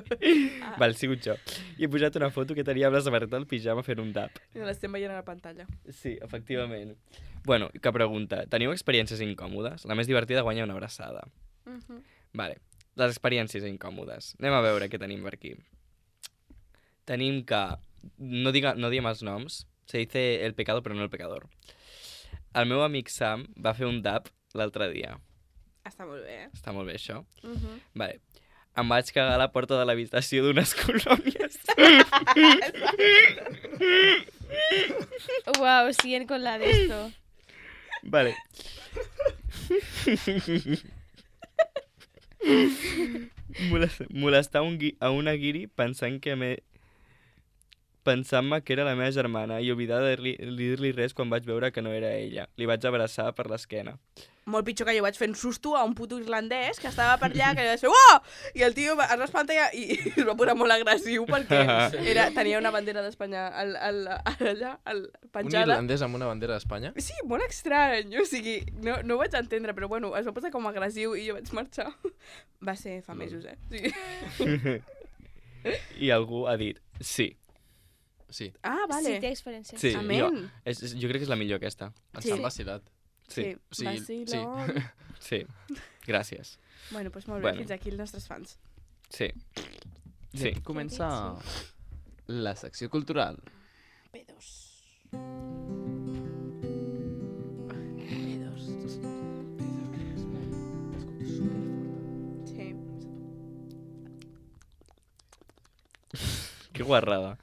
Ah, val, he sigut jo. I he posat una foto que tenia amb la samarreta del pijama fent un tap. l'estem veient a la pantalla. Sí, efectivament. Bueno, que pregunta. Teniu experiències incòmodes? La més divertida guanya una abraçada. Uh -huh. Vale, les experiències incòmodes. Anem a veure què tenim per aquí. Tenim que... No, diga, no diem els noms. Se dice el pecado, però no el pecador. El meu amic Sam va fer un tap l'altre dia. Està molt bé, eh? Està molt bé, això. Uh -huh. Vale. Em vaig cagar a la porta de l'habitació d'unes colònies. Wow, siguen con la de esto. Vale. Molest- Molestar un gui a una guiri pensant que me... pensant-me que era la meva germana i oblidar de dir-li dir-li res quan vaig veure que no era ella. Li vaig abraçar per l'esquena. Molt pitjor que jo vaig fent susto a un puto irlandès que estava per allà, que li vaig fer oh! I el tio es va espantar i, i es va posar molt agressiu perquè era, tenia una bandera d'Espanya al, al, allà, al, Un penjada. irlandès amb una bandera d'Espanya? Sí, molt estrany, o sigui, no, no ho vaig entendre, però bueno, es va posar com agressiu i jo vaig marxar. Va ser fa mesos, eh? Sí. I algú ha dit sí. Sí, Ah, vale. Sí, té experiència. Sí, jo, Amén. és, és, jo crec que és la millor aquesta. ens Sí. han vacilat. Sí, Sí, vacilón. sí. Gràcies. Bueno, doncs molt bé, Bueno. fins aquí els nostres fans. Sí. I Sí. aquí comença la secció cultural. Pedos. Pedos. Sí. Que guarrada.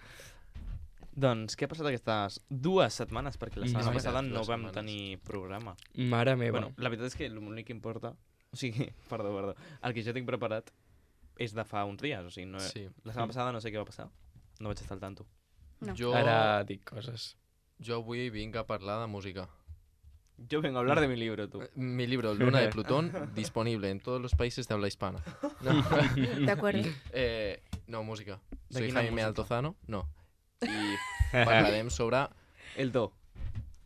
Doncs, què ha passat aquestes dues setmanes? Perquè la setmana No, passada dues no vam setmanes. tenir programa. Mare meva. Bueno, la veritat és que l'únic que importa... O sigui, perdó, perdó. El que jo tinc preparat és de fa uns dies. O sigui, no... Sí. la setmana passada no sé què va passar. No vaig estar al tanto. No. Jo, Ara dic coses. jo avui vinc a parlar de música. Yo vengo a hablar de mi libro, tú. Mi libro, Luna de Plutón, disponible en todos los países de habla hispana. No, De acuerdo. eh, no música. De Soy quina Jaime música? Altozano, no. I parlarem sobre El do.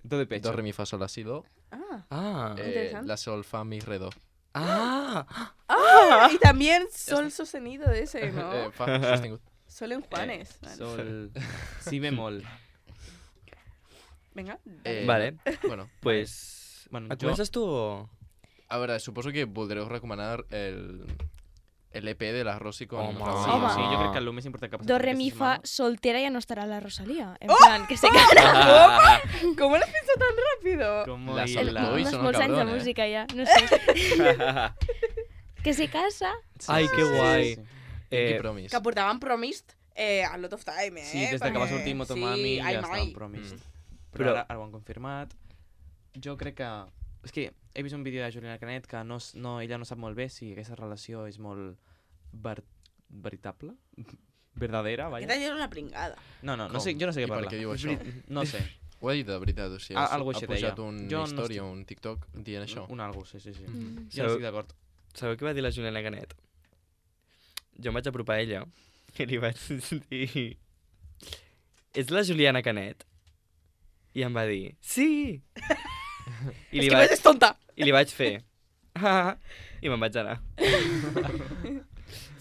Do de pecho. do, re, mi, fa, sol, la, si, do, Ah. Ah. eh, Interesante. la, sol, fa, mi, re, do. Ah. Ah, y también sol sostenido de ese, ¿no? Eh, fa sostingut. Sol en Juanes. Vale. Sol. Si bemol. Venga. Eh, Vale, Bueno, pues... Bueno, Et jo... comences tu o...? a veure, suposo que voldreu recomanar el, el E P de la Rosy con Home. Raúl. Sí, Home. sí, jo crec que el més important que ha passat Do, re, aquesta mi, fa, setmana- soltera ya no estará la Rosalía. En plan, que se casa. Ah. ¿Cómo lo has pensado tan rápido? Como La el- sol- la- Uy, Unos son molts anys de cabrón, eh? música ya, no sé. Que se casa. Sí, Ai, sí, que sí, guai. sí. Pinky Eh, Promise. Que portaven Promist eh, a Lot of Time, eh? Sí, des de que va Perquè- sortir Motomami sí, ja ai, estava mai. en Promised. Mm. Però, Però- ara, ara ho han confirmat. Jo crec que... És que he vist un vídeo de Juliana Canet que no, s- no, ella no sap molt bé si aquesta relació és molt ver, veritable, verdadera, vaja. Aquesta era una pringada. No, no, no Com? sé, jo no sé I què per parla. què diu això? No sé, Ho ha dit de veritat, o sigui, Ah, ha, algo ha així pujat deia. un Jo no història, estic- un TikTok dient això. un algo, sí, sí, sí. Mm. Jo no estic d'acord. Sabeu què va dir la Juliana Canet? Jo em vaig apropar a ella i li vaig dir... És la Juliana Canet? I em va dir, sí! I És li, que vaig, ves, és tonta. I li vaig fer, ah, i me'n vaig anar.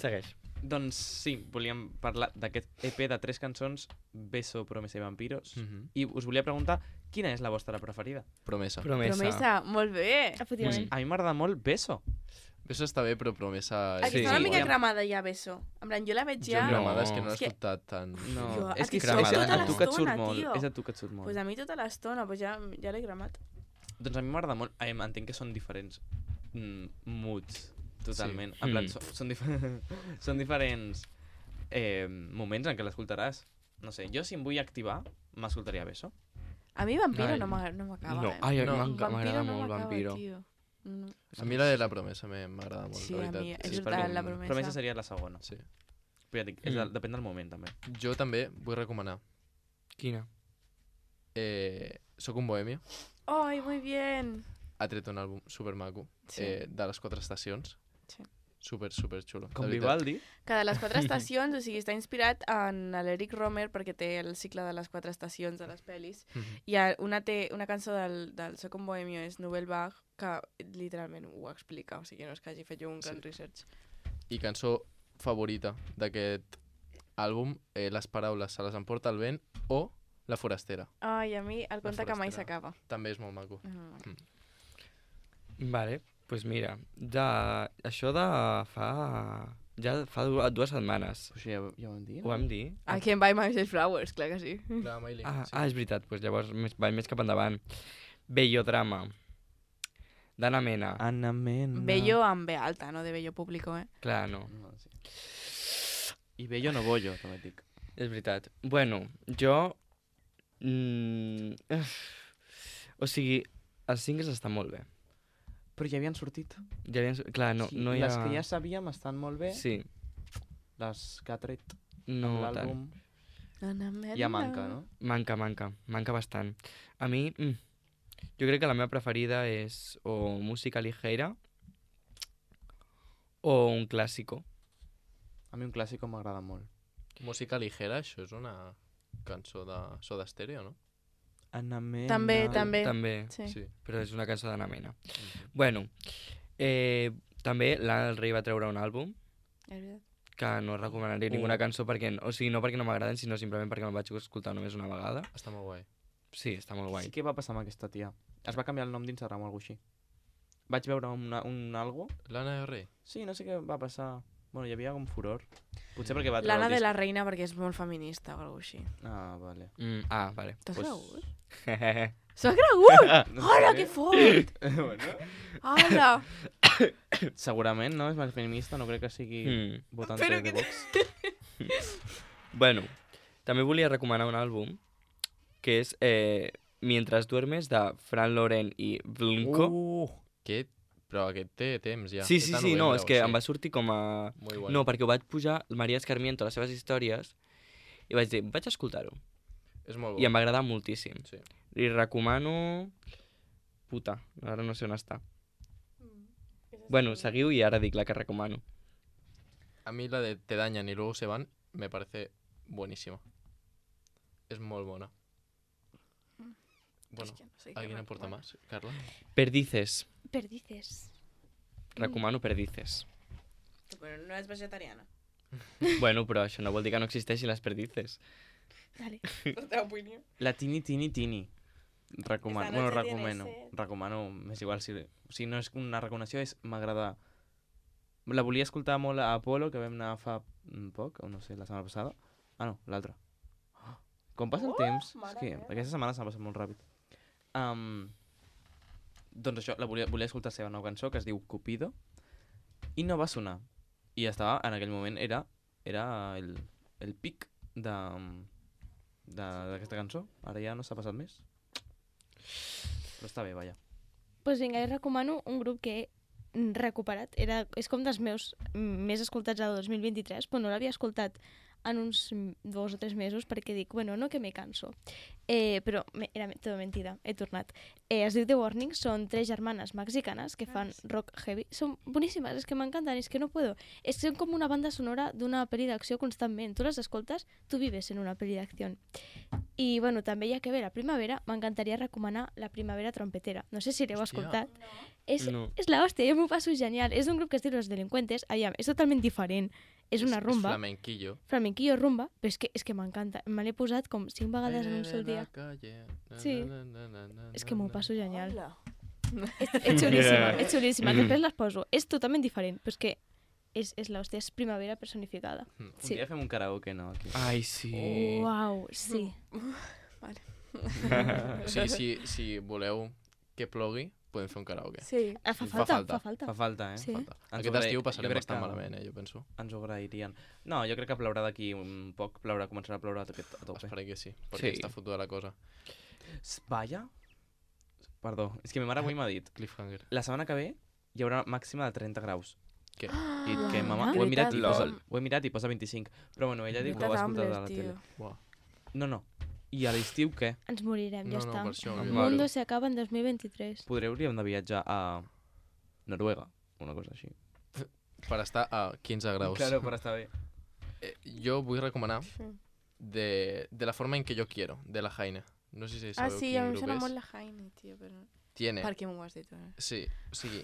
Segueix. Doncs sí, volíem parlar d'aquest E P de tres cançons, Beso, Promesa i Vampiros. Mhm. I us volia preguntar quina és la vostra preferida. Promesa. Promesa. Promesa, molt bé. Efectivament. A mi m'agrada molt Beso. Beso està bé, però Promesa... Aquí Sí. està una mica Ja- cremada ja, Beso. En plan, jo la veig Jo ja... no. No. Gramada és que no l'he És que- escoltat tant. No, Jo, és a que ti és, sóc és tota a tu que et surt l'estona, molt. tio. És a tu que et surt molt. Pues a mi tota l'estona, pues ja, ja l'he cremat. Doncs a mi m'agrada molt. Em, entenc que són diferents mm, moods, totalment. Sí. En plan, Mm. so, són, dif són diferents eh, moments en què l'escoltaràs. No sé, jo si em vull activar, m'escoltaria Beso. A mi Vampiro Ai. no m'agrada, no m'acaba, No, eh? ai, No. m'enca- m'agrada no molt m'acaba, Vampiro. tio. No. A mi la de la Promesa me- m'agrada molt, Sí, la a veritat. mi és Sí, veritat, perquè- la Promesa. Promesa seria la segona. Sí. Però ja dic, és Mm. de, depèn del moment, també. Jo també vull recomanar Quina? eh, Soc un bohemio. Ai, muy bien. Ha tret un àlbum supermaco Sí. eh, de les quatre estacions. Sí. Super, super xulo. Com de veritat. Vivaldi. Que de les quatre estacions, o sigui, està inspirat en l'Eric Romer perquè té el cicle de les quatre estacions de les pel·lis. Mhm. I a- una, té, una cançó del, del So com Bohemio és Nouvelle Vague, que literalment ho explica, o sigui, no és que hagi fet jo un gran Sí. research. I cançó favorita d'aquest àlbum, eh, les paraules se les emporta el vent o La forastera. Ai, a mi el conte que mai forastera. s'acaba. També és molt maco. Mm. Vale, doncs pues mira, de... això de fa... ja fa du- dues setmanes. Pues ja, ja ho vam dir, Ho vam dir? I can buy myself flowers, clar que sí. La Miley, Ah, sí. ah, és veritat, doncs llavors més, vaig més cap endavant. Bellodrama, d'Anna Mena. Anna Mena. Bello amb B alta, no de bello público, eh? Clar, no, No, sí. I bello no bollo, també et dic. és veritat. Bueno, jo... Mm, o sigui, els singles estan molt bé. Però ja havien sortit. Ja havien... Clar, no, sí, no hi ha... Les que ja sabíem estan molt bé. Sí, Les que ha tret no amb tant. l'àlbum Anna Mena. ja manca, no? Manca, manca, manca bastant. A mi, mm, jo crec que la meva preferida és o música ligera o un clàssico. A mi un clàssic m'agrada molt. Música ligera, això és una cançó de Soda Stereo, no? Anna Mena... També, també. També, Sí. Sí. però és una cançó d'Anna Mena. Mhm. Bueno, eh, també Lana del Rei va treure un àlbum És veritat. que no recomanaria Uh. ninguna cançó perquè, o sigui, no perquè no m'agraden, sinó simplement perquè me'l vaig escoltar només una vegada. Està molt guai. Sí, està molt guai. Sí, què va passar amb aquesta tia? Es va canviar el nom d'Instagram o alguna cosa així. Vaig veure una, un algo. Lana del Rei. Sí, no sé què va passar. Bueno, hi havia com furor. Potser perquè va treure L'Anna el de disc. la Reina perquè és molt feminista o alguna cosa així. Ah, vale. Mm, ah, vale. T'has Pues- cregut? S'ha cregut? No Hola, sé. que fort! bueno, Hola! segurament, no? És més feminista, no crec que sigui Mm. votante Però de que- Vox. Bueno, també volia recomanar un àlbum que és eh, Mientras duermes de Fran Loren i Blunko. Uh, Aquest, però aquest té temps ja. sí, És sí, de sí, no, novembre és o que sí. em va sortir com a... Muy guai. No, perquè ho vaig pujar Maria Escarmiento a les seves històries i vaig dir, vaig escoltar-ho. És molt bo. I em va agradar moltíssim. Sí. Li recomano... Puta, ara no sé on està. Bueno, seguiu i ara dic la que recomano. A mí la de Te dañan y luego se van me parece buenísima. Es muy buena. Bueno, És que no sé què ¿alguien aporta recomanar. más? Carla. Perdices. Perdices. Recomano Perdices. Però no és vegetariana. Bueno, però això no vol dir que no existeixin les perdices. Vale. La teva opinió. la Tini Tini Tini. Recomano. Esta Bueno, noche tiene recomano. sed. Recomano, m'és igual si... O sigui, no és una recomanació, és m'agrada... La volia escoltar molt a Apolo, que vam anar fa mm, poc, o no sé, la setmana passada. Ah, no, l'altra. Ah, Com passa el Oh, temps? És mare que meva. aquesta setmana s'ha passat molt ràpid. Um, doncs això, la volia, volia escoltar la seva nova cançó, que es diu Cupido, i no va sonar. I estava, en aquell moment, era, era el, el pic de de- d'aquesta cançó. Ara ja no s'ha passat més. Però està bé, vaja. Pues vinga, jo recomano un grup que he mm, recuperat. Era, és com dels meus mm, més escoltats del dos mil vint-i-tres, però no l'havia escoltat en uns mm, dos o tres mesos perquè dic, bueno, no que me canso. Eh, però me, era tota mentida, he tornat. Eh, es diu The Warning, són tres germanes mexicanes que fan rock heavy. Són boníssimes, és que m'encanten, és que no puedo. És que són com una banda sonora d'una pel·li d'acció constantment. Tu les escoltes, tu vives en una pel·li d'acció. I, bueno, també ja que ve la primavera, m'encantaria recomanar La Primavera Trompetera. No sé si l'heu Hòstia. escoltat. És, No. és la hòstia, jo m'ho passo genial. És un grup que es diu Los Delincuentes. Aviam, és totalment diferent. És una rumba, És flamenquillo. flamenquillo rumba, però és que, és que m'encanta. Me l'he posat com cinc vegades en un sol dia. Sí. És que m'ho passo genial. Hola. És, és xulíssima, és xulíssima. Després les poso. És totalment diferent, però és que és, és l'hòstia, és primavera personificada. Un Sí. dia fem un karaoke, no? Aquí. Ai, sí. Uau, sí. Sí, sí, si voleu que plogui, podem fer un karaoke. Sí. Ah, fa Fa falta, falta. fa falta. Fa falta, eh? Sí. Falta. Ens Aquest ho agraï- estiu jo passarem crec bastant que- malament, eh, jo penso. Ens ho agrairien. No, jo crec que plourà d'aquí un poc, plourà, començarà a ploure a tope. A tope. Esperem que sí, perquè Sí. està fotuda la cosa. S- Vaya? Perdó, és que ma mare avui m'ha dit Cliffhanger. la setmana que ve hi haurà màxima de trenta graus. Què? I que Ah, mama, de ho he mirat i veritat? posa, Lol. ho he mirat i posa vint-i-cinc. Però bueno, ella diu que ho Greta ha escoltat a Thunberg, la tio. tele. Buah. No, no. I a l'estiu què? Ens morirem, ja No, no, està. per això. Em El moro. mundo se acaba en dos mil vint-i-tres. Podreu hauríem de viatjar a Noruega, una cosa així. per estar a quinze graus. Claro, per estar bé. Eh, jo vull recomanar Sí. de, de la forma en que yo quiero, de la Jaime. No sé si Ah, sabeu sí, quin a mi em grup sona és. molt la Jaime, tio, però... Tiene, Per què m'ho has dit? Eh? sí, o sigui,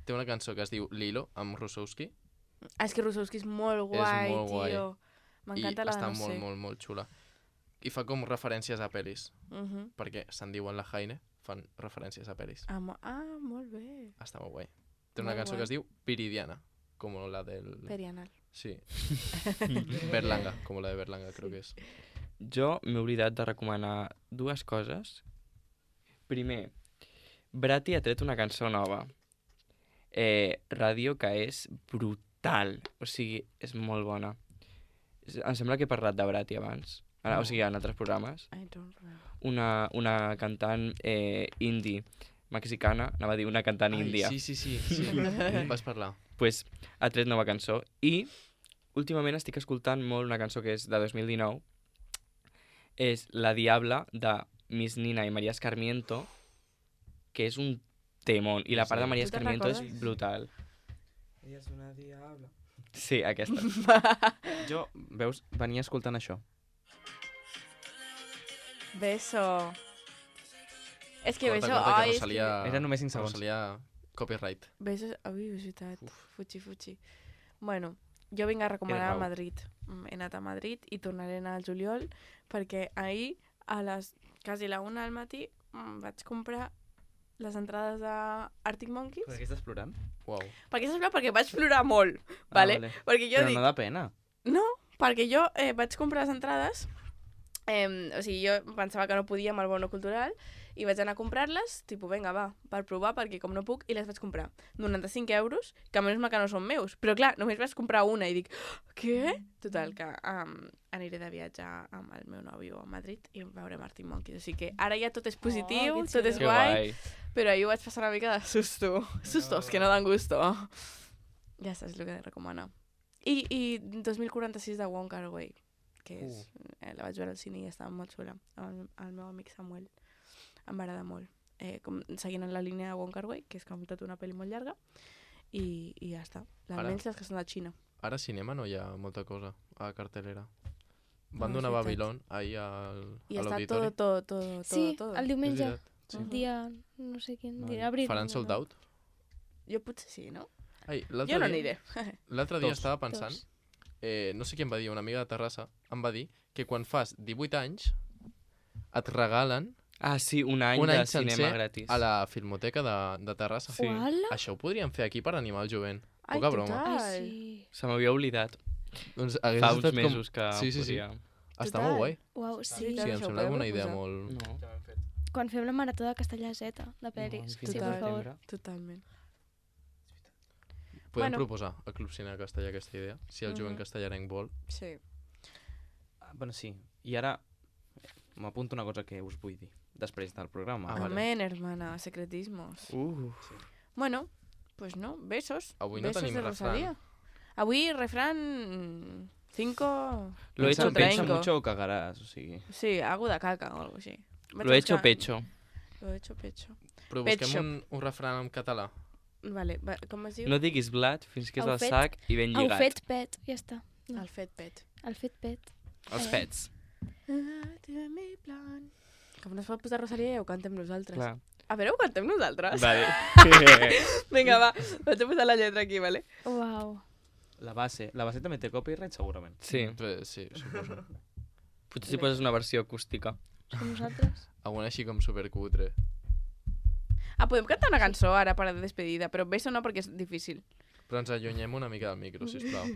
té una cançó que es diu Lilo, amb Rusowski, Ah, és que Rusowski és molt guai, molt guai. tio. i M'encanta la de està no molt, sé. molt, molt xula. I fa com referències a pel·lis, Mhm. perquè se'n diuen la Jaime, fan referències a pel·lis. Ah, mo- ah, molt bé. Està molt guai. Té una Molt cançó guai. que es diu Viridiana, com la del... Perianal. Sí. Berlanga, com la de Berlanga, creo que és. Jo m'he oblidat de recomanar dues coses. Primer, Brati ha tret una cançó nova. Eh, ràdio que és brutal. O sigui, és molt bona. És- Em sembla que he parlat de Brati abans. Ara, o sigui, en altres programes. I don't remember. Una, una cantant eh, indie mexicana, anava a dir una cantant Ai, índia. sí, sí, sí, sí. Vas parlar. Pues, ha tret nova cançó. I últimament estic escoltant molt una cançó que és de dos mil dinou. És La Diabla, de Miss Nina i María Escarmiento, que és un temón. I la part de María Tu te'n Escarmiento és recordes? brutal. Ella és una diabla. Sí, aquesta. Jo, veus, venia escoltant això. Beso. És que Corta, Beso... corta, Ai, que és que... Rosalia... Era només cinc segons. Rosalia, copyright. Beso... Ui, és veritat. Fuchi, fuchi. Bueno, jo vinc a recomanar Era a raó. Madrid. Mm, He anat a Madrid i tornaré a anar al juliol perquè ahir, a les quasi la una del matí, mm, vaig comprar les entrades a Arctic Monkeys. Per què estàs plorant? Uau. Per què saps plorar? Perquè vaig plorar molt, vale? Ah, vale. Perquè jo Però dic... no da pena. No, perquè jo eh, vaig comprar les entrades, eh, o sigui, jo pensava que no podia amb el bono cultural, i vaig anar a comprar-les, tipus, vinga, va, per provar, perquè com no puc, i les vaig comprar. noranta-cinc euros, que a menys mal que no són meus. Però clar, només vaig comprar una i dic, "Oh, què? Total, que um, aniré de viatge amb el meu nòvio a Madrid i veurem Arctic Monkeys. O sigui que ara ja tot és positiu, que tot és Que guai, guai. però ahir ho vaig passar una mica de susto. Sustos que no dan gusto. Ja saps el que he de recomanar. I, i dos mil quaranta-sis de Wong Kar-wai, que és, eh, la vaig veure al cine i estava molt xula, amb el meu amic Samuel. Em va agradar molt. Eh, com, seguint en la línia de Wong Kar-wai, que és com tot una pel·li molt llarga, i, i ja està. Ara- Almenys les que són de Xina. Ara a cinema no hi ha molta cosa a cartelera. Van No, és donar veritat. Babilón ahir al, I a està l'auditori. tot, tot, tot, Sí, tot. el És diumenge, veritat. Sí. Mhm. dia, no sé quin, Vale. dia abril. Faran sold out? Jo potser sí, no? Ai, l'altre Jo no dia- aniré. L'altre dia Tots. estava pensant, Tots. eh, no sé qui em va dir, una amiga de Terrassa, em va dir que quan fas divuit anys et regalen Ah, sí, un any un de any cinema sencer gratis. a la Filmoteca de, de Terrassa. Sí. Uala. Això ho podríem fer aquí per animar el jovent. Ai, Poca broma. total. Ai, sí. Se m'havia oblidat. Doncs hagués Fa estat uns mesos que Sí, sí, sí. podia... Està Total. molt guai. Uau, Sí, sí. veritat. sí, em això ho sembla podem una idea proposar. molt... No. Quan fem la marató de Castellà Z, de pel·lis. No, sí, per total. favor. Totalment. Podem Bueno. proposar al Club Cine Castellà aquesta idea, si el jovent Mhm. castellarenc vol. Sí. Ah, bueno, sí. I ara m'apunto una cosa que us vull dir després del programa. Ah, vale. Amén, hermana, secretismos. Uh, Bueno, pues no, besos. Avui no besos tenim de refrán. Rosalía. Avui, refrán cinco... Lo he Piensa- hecho piensa pecho. mucho o cagarás, o sigui... Sí, algo de caca o algo así. Vaig lo he a hecho buscar- pecho. Lo he hecho pecho. Però Pet busquem shop. un, un refrán en català. Vale, va, com es diu? No diguis blat fins que és Au al fet. sac i ben Au lligat. fet pet, ja està. El fet pet. El fet pet. Els pets. Com no es pot posar Rosalia, ja ho cantem nosaltres. Clar. A veure, ho cantem nosaltres? Vale. Vinga, va, vaig a posar la lletra aquí, vale? Uau. La base, la base també té copyright, segurament. Sí. Però, sí, suposo. Potser si poses una versió acústica. Som nosaltres. Alguna així com supercutre. Ah, podem cantar una cançó ara per a despedida, però beso no perquè és difícil. Però ens allunyem una mica del micro, sisplau.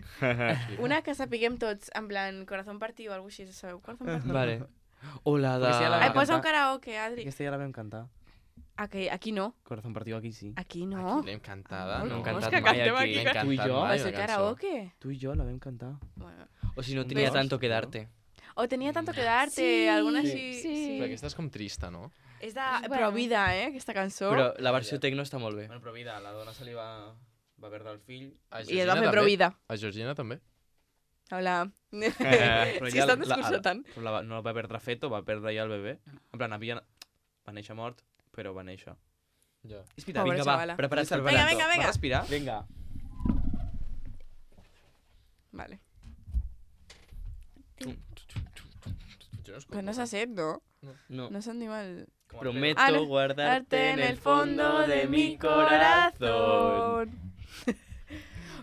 Una que sapiguem tots, en plan, corazón partido o alguna cosa així, sabeu? Corazón partido. Vale. O la de... Perquè si ja la Ai, vam posa un cantar. karaoke, Adri. Aquesta ja la vam cantar. Aquí, aquí no, Corazón partido aquí sí. aquí no. Aquí l'hem cantada, Ah, no? hem és cantat que mai cantem aquí. aquí. L'hem Tu i cantat jo? mai, Va ser una cançó. karaoke. Tu i jo la vam cantar. Bueno. O si no Un tenia dos, tanto que no? darte. O tenia tanto que darte, Sí, alguna sí, així... sí. Però aquesta és com trista, no? És de Bueno. Provida, eh, aquesta cançó. Però la versió tecno està molt bé. Bueno, però vida, la dona se li va, va perdre el fill. A I es va fer també? Provida. A Georgina també? Hola. Però Si ja estan la- la- desconcertant. Però la, va- no la va perdre feto, va perdre ja el bebè. En plan, havia... va néixer mort, però va néixer. Ja. És veritat, Pobra Vinga, va, xavala. prepara't, Vinga, Vinga, prepara't. vinga, vinga. Va respirar? Vinga. Vale. Jo no escolto. Però no s'ha set, no? No. No se'n diu el... Prometo Ah, no. guardarte en el fondo de mi corazón.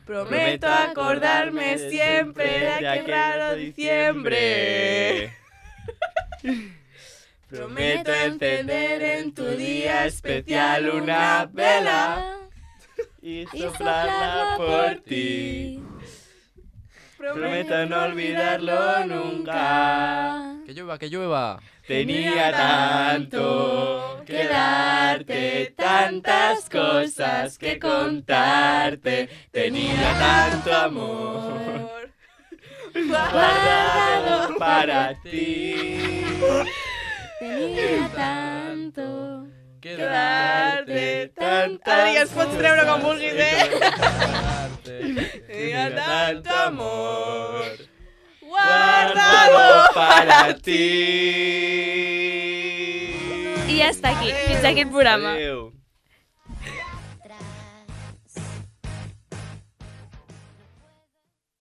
Prometo acordarme siempre de aquel raro diciembre. Prometo encender en tu día especial una vela Y y soplarla por ti. Prometo no olvidarlo nunca. Que llueva, que llueva. Tenía tanto que darte, tantas cosas que contarte. Tenía tanto amor guardado para ti. Tenía tanto... Que darte tantas Adri, ens pots treure com vulguis, eh? darte. Tenía tanto amor Guardado para ti. I ja està aquí. Fins aquí el programa. Adéu.